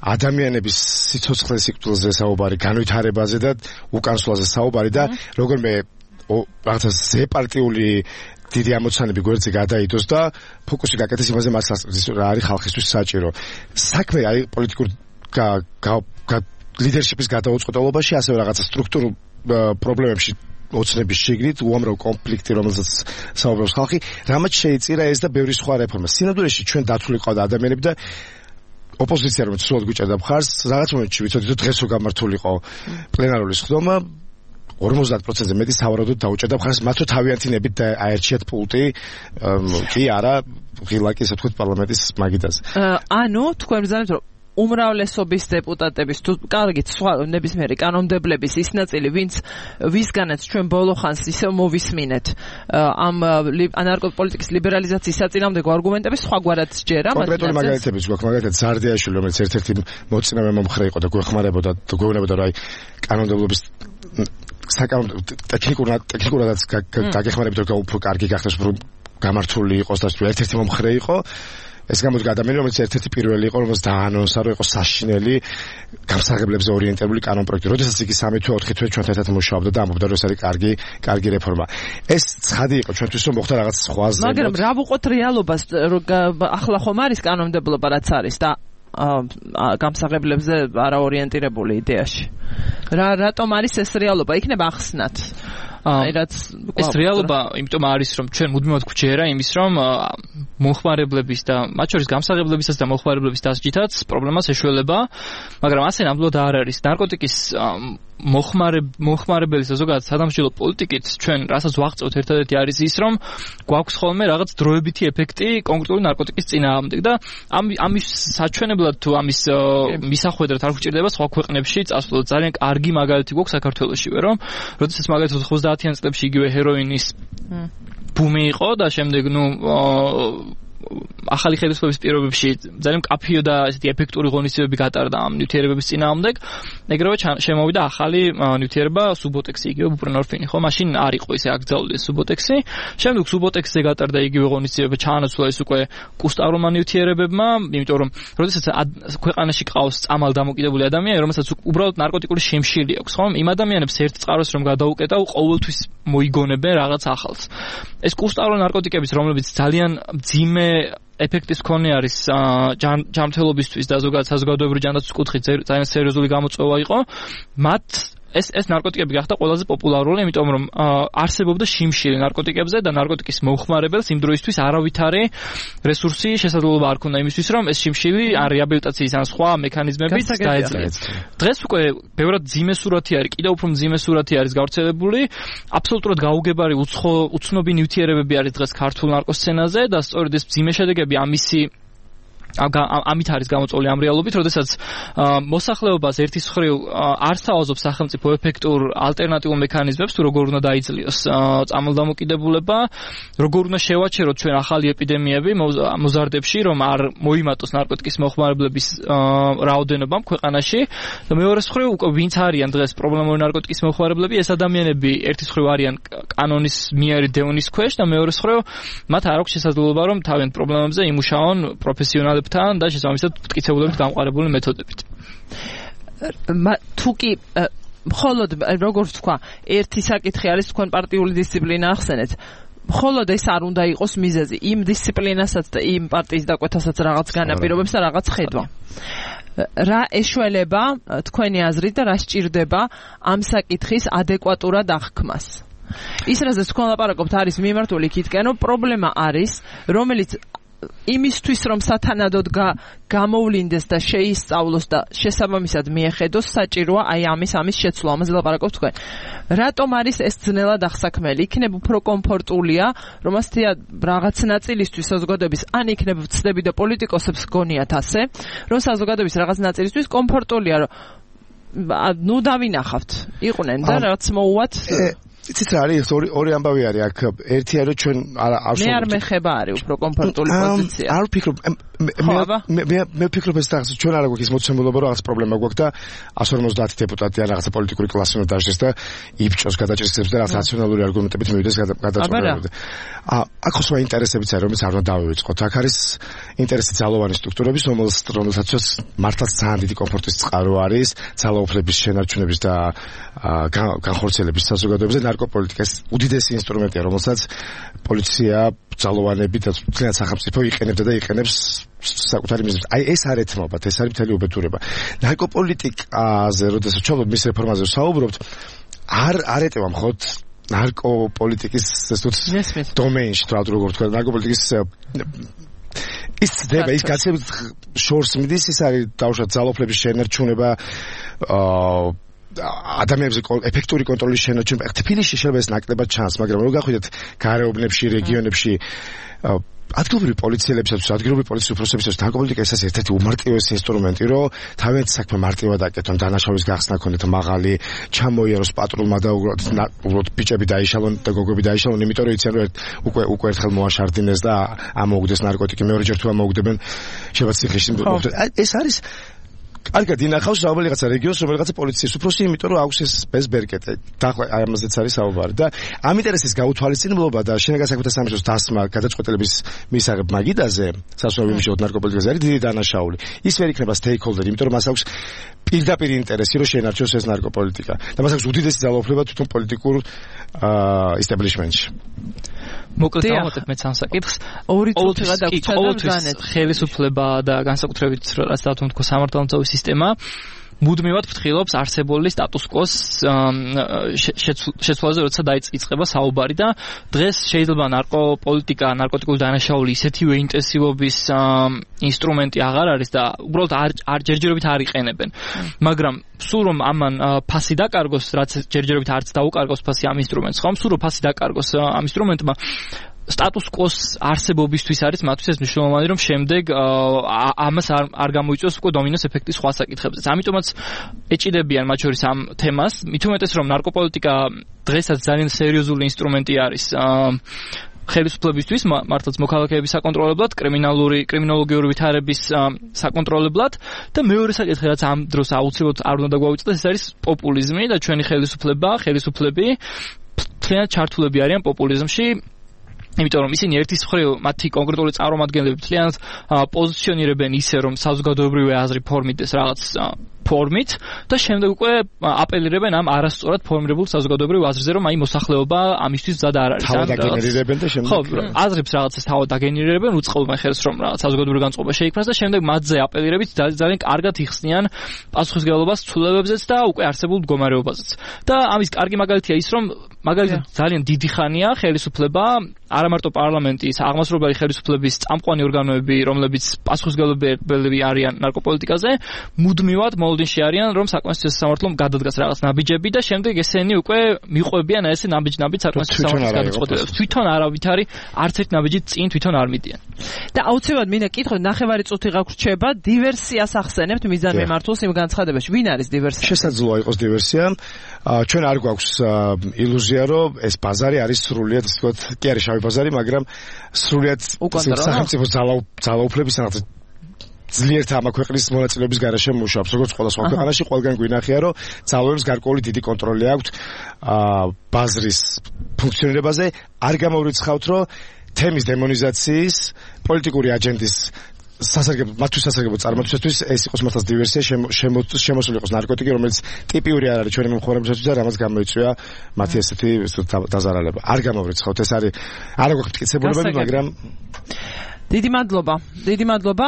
ადამიანების სიცოცხლე სიკვდილზე საუბარი, განვითარებაზე და უკანასკნელზე საუბარი და როგორმე რაღაცა ზეპარტიული დიდი ამოცანები გვერდზე გადაიდოს და ფოკუსი გაკეთდეს იმაზე, მას რა არის ხალხისთვის საჭირო. საქმე არის პოლიტიკურ ლიდერშიპის გადაუწყոտებაში, ასევე რაღაცა სტრუქტურულ პრობლემებში ოცნების შიგნით, უამრავ კონფლიქტი, რომელზეც საუბრობს ხალხი, რამაც შეიწირა ეს და ბევრი სხვა რეფორმა. სინამდვილეში ჩვენ დათვლილი ყავდა ადამიანები და ოპოზიცია რომ სულად გვიჭერდა მხარს, რაღაც მომენტში ვიცოდით, რომ დღეს რო გამართულიყო პლენარული სხდომა, ორმოცდაათ პროცენტზე მეტი სავარაუდოდ დაუჭერდა მხარს, მათ რო თავიანთი ნებით აერჩიათ პულტი, კი არა, ღილაკი, ასე ვთქვათ, პარლამენტის მაგიდაზე. ანუ თქვენ ბრძანებთ, რომ უმრავლესობის დეპუტატების თუ კარგით სხვა ნებისმიერი კანონმდებლების ის ნაწილი, ვინც ვისგანაც ჩვენ ბოლო ხანს ისევ მოვისმინეთ ამ ნარკოპოლიტიკის ლიბერალიზაციის საწინააღმდეგო არგუმენტების სხვაგვარად ჯერა. კონკრეტული მაგალითებიც გვაქვს, მაგალითად ზარდიაშვილი, რომელიც ერთ-ერთი მოწინავე მომხრე იყო და გვეხმარებოდა და გვეუბნებოდა, რომ აი კანონმდებლობის საკანონმდებლო ტექნიკურად ტექნიკურადაც გაგეხმარებით, რომ უფრო კარგი გახდეს, უფრო გამართული იყოს და ერთ-ერთი მომხრე იყო. ეს გამოდგა ადამიანი, რომელიც ერთ-ერთი პირველი იყო, რომელიც დაანონსა, რომ იყო საშინელი გამსაღებლებზე ორიენტირებული კანონპროექტი. როდესაც იგი სამი თუ ოთხი თვე ჩვენთან ერთად მუშაობდა და ამბობდა, რომ ეს არის კარგი, კარგი რეფორმა. ეს ცხადი იყო ჩვენთვის, რომ მოხდა რაღაც სხვაზე. მაგრამ რა ვუყოთ რეალობას, ახლა ხომ არის კანონმდებლობა რაც არის და გამსაღებლებზე არაორიენტირებული იდეაში. რა რატომ არის ეს რეალობა? იქნება ახსნათ. აი რაც ეს რეალობა იმიტომ არის რომ ჩვენ მუდმივად გვჯერა იმის რომ მომხმარებლების და მათ შორის გამსაღებლებისას და მომხმარებლების დასჯითაც პრობლემას ეშველება, მაგრამ ასე ნამდვილად არ არის. ნარკოტიკის მომხმარებელი ზოგადად სადამსჯელო პოლიტიკით ჩვენ რასაც ვაღწევთ ერთადერთი არის ის რომ გვაქვს ხოლმე რაღაც დროებითი ეფექტი კონკრეტული ნარკოტიკის წინააღმდეგ და ამის საჩვენებლად თუ ამის მისახვედრად არ გვჭირდება სხვა ქვეყნებში წასვლა. ძალიან კარგი მაგალითი გვაქვს საქართველოშივე, რომ როდესაც მაგალითად ოცდაათიან წლებში იგივე ჰეროინის ბუმი იყო და შემდეგ ნუ ახალი ხელისუფლების პირობებში ძალიან კაფიო და ესეთი ეფექტური ღონისძიებები გატარდა ამ ნივთიერებების წინააღმდეგ. ეგრევე შემოვიდა ახალი ნივთიერება სუბოტექსი, იგივე ბუპრენორფინი, ხო? მაშინ არ იყო ისე აკრძალული სუბოტექსი. შემდეგ სუბოტექსზე გატარდა იგივე ღონისძიება, ჩაანაცვლა ეს უკვე კუსტარულმა ნივთიერებებმა, იმიტომ რომ როდესაც ქვეყანაში ყავს წამალ დამოკიდებული ადამიანი, რომელსაც უბრალოდ ნარკოტიკული შემშილი აქვს, ხო? იმ ადამიანებს ერთ წყაროს რომ გადაუკეტავ, ყოველთვის მოიგონებენ რაღაც ახალს. ეს კუსტარული ნარკოტიკების, რომლებიც ძალიან მძიმე ეფექტის მქონე არის ჯანმრთელობისთვის და ზოგადად საზოგადოებრივი ჯანდაცვის კუთხით ძალიან სერიოზული გამოწვევა იყო, მათ ეს ეს ნარკოტიკები გახდა ყველაზე პოპულარული, იმიტომ რომ არსებობდა შიმშილი ნარკოტიკებზე და ნარკოტიკის მოხმარებელს იმ დროისთვის არავითარი რესურსი შესაძლებლობა არ ქონდა იმისთვის, რომ ეს შიმშილი ან რეაბილიტაციის ან სხვა მექანიზმებით დაეძლია. დღეს უკვე ბევრად ძიმე სურათი არის, კიდევ უფრო ძიმე სურათი არის გავრცელებული. აბსოლუტურად გაუგებარი უცხო უცნობი ნივთიერებები არის დღეს ქართულ ნარკოსცენაზე და სწორედ ეს ძიმე შედეგები ამისი ამით არის გამოწვეული ამ რეალობით, როდესაც მოსახლეობას ერთის მხრივ არ სთავაზობს სახელმწიფო ეფექტურ ალტერნატიულ მექანიზმებს, თუ როგორ უნდა დაიძლიოს წამალდამოკიდებულება, როგორ უნდა შევაჩეროთ ჩვენ ახალი ეპიდემიები მოზარდებში, რომ არ მოიმატოს ნარკოტიკის მოხმარებლების რაოდენობა ქვეყანაში და მეორეს მხრივ უკვე ვინც არიან დღეს პრობლემური ნარკოტიკის მოხმარებლები, ეს ადამიანები ერთის მხრივ არიან კანონის მიერი დევნის ქვეშ და მეორეს მხრივ მათ არ აქვს შესაძლებლობა, რომ თავიანთ პრობლემებზე იმუშაონ პროფესიონალები თან და შესაბამისად მტკიცებულებით გამყარებული მეთოდებით. თუ კი მხოლოდ როგორც თქვა, ერთი საკითხი არის თქვენ პარტიული დისციპლინა ახსენეთ. მხოლოდ ეს არ უნდა იყოს მიზეზი იმ დისციპლინასაც და იმ პარტიის დაკვეთასაც რაღაც განაპირობებს და რაღაც ხედვა. რა ეშველება თქვენი აზრით და რა სჭირდება ამ საკითხის ადეკვატურად აღქმას? ის რაზეც თქვენ ლაპარაკობთ არის მიმართული იქითკენ, რომ პრობლემა არის, რომელიც იმისთვის რომ სათანადოდ გამოვლინდეს და შეისწავლოს და შესაბამისად მიეხედოს, საჭიროა აი ამის ამის შეცვლა. ამაზე ლაპარაკობთ თქვენ. რატომ არის ეს ძნელად აღსაქმელი? იქნებ უფრო კომფორტულია, რომ ასთია რაღაც ნაწილისთვის საზოგადოების, ან იქნებ ვცდები და პოლიტიკოსებს გონიათ ასე, რომ საზოგადოების რაღაც ნაწილისთვის კომფორტულია, რომ ნუ დავინახავთ, იყვნენ და რაც მოუვათ. იცით რა არის, ორი ორი ამბავი არის აქ. ერთი არის რომ ჩვენ არ არ მე არ მეხება არის უფრო კომფორტული პოზიცია. არ ვფიქრობ მე მე მე ვფიქრობ ეს რაღაც ჩვენ არ აქვს ის მოცემულობა, რომ რაღაც პრობლემა გვაქვს და εκατს ორმოცდაათი დეპუტატი ან რაღაცა პოლიტიკური კლასი უნდა დაჟდეს და იბჭოს გადაჭრისებს და რაღაც რაციონალური არგუმენტებით მივიდეს გადაწყვეტილებამდე. აა აქ სხვა ინტერესებიც არის, რომელიც არ უნდა დავივიწყოთ. აქ არის ინტერესი ძალოვანი სტრუქტურების, რომელსაც მართლაც ძალიან დიდი კომფორტის წყარო არის, ძალაუფლების შენარჩუნების და განხორციელების საზოგადოებაზე. ნარკოპოლიტიკას უდიდესი ინსტრუმენტია, რომელსაც პოლიცია, ძალოვანები და მთლიან სახელმწიფო იყენებდა და იყენებს საკუთარი მიზნით. აი ეს არ ეთმობათ, ეს არის მთელი უბედურება. ნარკოპოლიტიკაზე, როდესაც ჩავდოთ მის რეფორმაზე ვსაუბრობთ, არ არ ეტევა მხოლოდ ნარკოპოლიტიკის ეს დომეინში, თვალთ როგორ თქვა, ნარკოპოლიტიკის ის ძება, ის გაცემით შორს მიდის, ის არის დაუშვათ ძალაუფლების შენარჩუნება, აა ადამიანებზე ეფექტური კონტროლის შენარჩუნება. თბილისში შეიძლება ეს ნაკლებად ჩანს, მაგრამ რო გახვიდეთ გარეუბნებში, რეგიონებში, ადგილობრივი პოლიციელებისათვის, ადგილობრივი პოლიციის უფროსებისათვის ნარკოპოლიტიკა ეს ერთ-ერთი უმარტივესი ინსტრუმენტი, რომ თავიანთი საქმე მარტივად აკეთონ, დანაშაულის გახსნა ქონდეთ მაღალი, ჩამოიაროს პატრულმა და უბრალოდ ბიჭები დაიშალონ და გოგოები დაიშალონ, იმიტომ რომ იციან რომ უკვე უკვე ერთხელ მოაშარდინეს და ამოუგდეს ნარკოტიკი, მეორეჯერ თუ ამოუგდებენ შეიძლება ციხეში. ეს არის კარგად ინახავს რომელიღაცა რეგიონს, რომელიღაცა პოლიციის უფროსი, იმიტომ რომ აქვს ეს ეს ბერკეტე. და აი ამაზეც არის საუბარი და ამ ინტერესის გაუთვალისწინებლობა და შინაგან საქმეთა სამინისტროს დასმა გადაწყვეტილების მისაღებ მაგიდაზე, სასწავლო ვიმუშაოთ ნარკოპოლიტიკაზე არის დიდი დანაშაული. ის ვერ იქნება stakeholder, იმიტომ რომ მას აქვს პირდაპირ ინტერესი, რომ შეენარჩუნოს ეს ნარკოპოლიტიკა და მას აქვს უდიდესი ძალაუფლება თვითონ პოლიტიკურ establishment-ში. მოკლედ დავამატებ მეც ამ საკითხს. ორი წუთი გადაგვრჩა და განეთ. ხელისუფლება და განსაკუთრებით რაც დავთქვი თქო სამართალდამცავი სისტემა მუდმივად ფრთხილობს არსებული სტატუს-კვოს შეცვლაზე, როცა დაიწყება საუბარი და დღეს შეიძლება ნარკოპოლიტიკა, ნარკოტიკული დანაშაული ისეთივე ინტენსივობის ინსტრუმენტი აღარ არის და უბრალოდ არ ჯერჯერობით არ იყენებენ. მაგრამ სულ რომ ამან ფასი დაკარგოს, რაც ჯერჯერობით არც დაუკარგოს ფასი ამ ინსტრუმენტს, ხომ სულ რომ ფასი დაკარგოს ამ ინსტრუმენტმა სტატუს-კვოს არსებობისთვის არის მათთვის ეს მნიშვნელოვანი, რომ შემდეგ ამას არ არ გამოიწვევს უკვე დომინოს ეფექტი სხვა საკითხებზე. ამიტომაც ეჭიდებიან მათ შორის ამ თემას, მით უმეტეს რომ ნარკოპოლიტიკა დღესაც ძალიან სერიოზული ინსტრუმენტი არის ხელისუფლებისთვის, მართლაც მოქალაქეების საკონტროლებლად, კრიმინალური კრიმინოლოგიური ვითარების საკონტროლებლად და მეორე საკითხი, რაც ამ დროს აუცილებლად არ უნდა დაგვავიწყდეს, ეს არის პოპულიზმი და ჩვენი ხელისუფლება, ხელისუფლები მთლიანად ჩართულები არიან პოპულიზმში. იმიტომ რომ ისინი ერთის მხრივ მათი კონკრეტული წარმომადგენლები მთლიანად პოზიციონირებენ ისე რომ საზოგადოებრივი აზრი ფორმირდეს რაღაც ფორმით და შემდეგ უკვე აპელირებენ ამ არასწორად ფორმირებულ საზოგადოებრივ აზრზე რომ აი მოსახლეობა ამისთვის მზად არ არის. თავად აგენერირებენ და შემდეგ ხო, აზრებს რაღაცას თავად აგენერირებენ, უწყობენ ხელს რომ რაღაც საზოგადოებრივი განწყობა შეიქმნას და შემდეგ მათზე აპელირებით ძალიან კარგად იხსნიან პასუხისმგებლობას ცვლილებებზეც და უკვე არსებულ მდგომარეობაზეც. და ამის კარგი მაგალითია ის რომ მაგალითად ძალიან დიდი ხანია ხელისუფლება არა მარტო პარლამენტის აღმასრულებელი ხელისუფლების წამყვანი ორგანოები, რომლებიც პასუხისმგებლები არიან ნარკოპოლიტიკაზე, მუდმივად მოლოდინში არიან, რომ საკონსტიტუციო სამართლომ გადადგას რაღაც ნაბიჯები და შემდეგ ესენი უკვე მიყვებიან ესე ნაბიჯ-ნაბიჯ საკონსტიტუციო სამართლის გადაწყვეტილებას. თვითონ არავითარი არც ერთ ნაბიჯით წინ თვითონ არ მიდიან. და აუცილებლად მინდა კითხოთ, ნახევარი წუთი გაგვრჩება, დივერსიას ახსენებთ მიზანმიმართულს იმ განცხადებაში. ვინ არის დივერსია? შესაძლოა იყოს დივერსია. ჩვენ არ გვაქვს ილუზია, რომ ეს ბაზარი არის სრულიად, ასე ვთქვათ, კი არის შავი ბაზარი, მაგრამ სრულიად სახელმწიფო ძალაუფლების რაღაც ძლიერთ ამ ქვეყნის მონაწილეობის გარეშე მუშაობს, როგორც ყველა სხვა ქვეყანაში, ყველგან გვინახია, რომ ძალოებს გარკვეული დიდი კონტროლი აქვს ბაზრის ფუნქციონირებაზე. არ გამოვრიცხავთ, რომ თემის დემონიზაციის, პოლიტიკური აჯენდის სასარგებლო, მათთვის სასარგებლო წარმატებისთვის ეს იყოს მართლაც დივერსია, შემოსული იყოს ნარკოტიკი, რომელიც ტიპიური არ არის ჩვენი მომხმარებლებისთვის და რამაც გამოიწვია მათი ესეთი დაზარალება. არ გამოვრიცხავთ, ეს არის არ აქვს მტკიცებულებები, მაგრამ დიდი მადლობა. დიდი მადლობა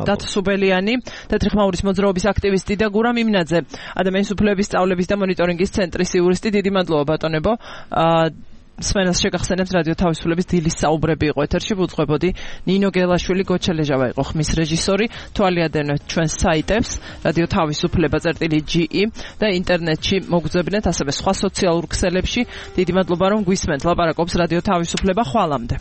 დათო სუბელიანი, თეთრი ხმაურის მოძრაობის აქტივისტი და გურამ იმნაძე, ადამიანის უფლებების სწავლების და მონიტორინგის ცენტრის იურისტი. დიდი მადლობა ბატონებო. სმენას შეგახსენებთ რადიო თავისუფლების დილის საუბრები იყო ეთერში, ვუძღვებოდი ნინო გელაშვილი, გოჩელეჟავა იყო ხმის რეჟისორი. თვალი ადევნეთ ჩვენს საიტებს რადიო თავისუფლება წერტილი ჯი ი და ინტერნეტში მოგძებნეთ, ასევე სხვა სოციალურ ქსელებში. დიდი მადლობა რომ გვისმენთ. ლაპარაკობს რადიო თავისუფლება. ხვალამდე.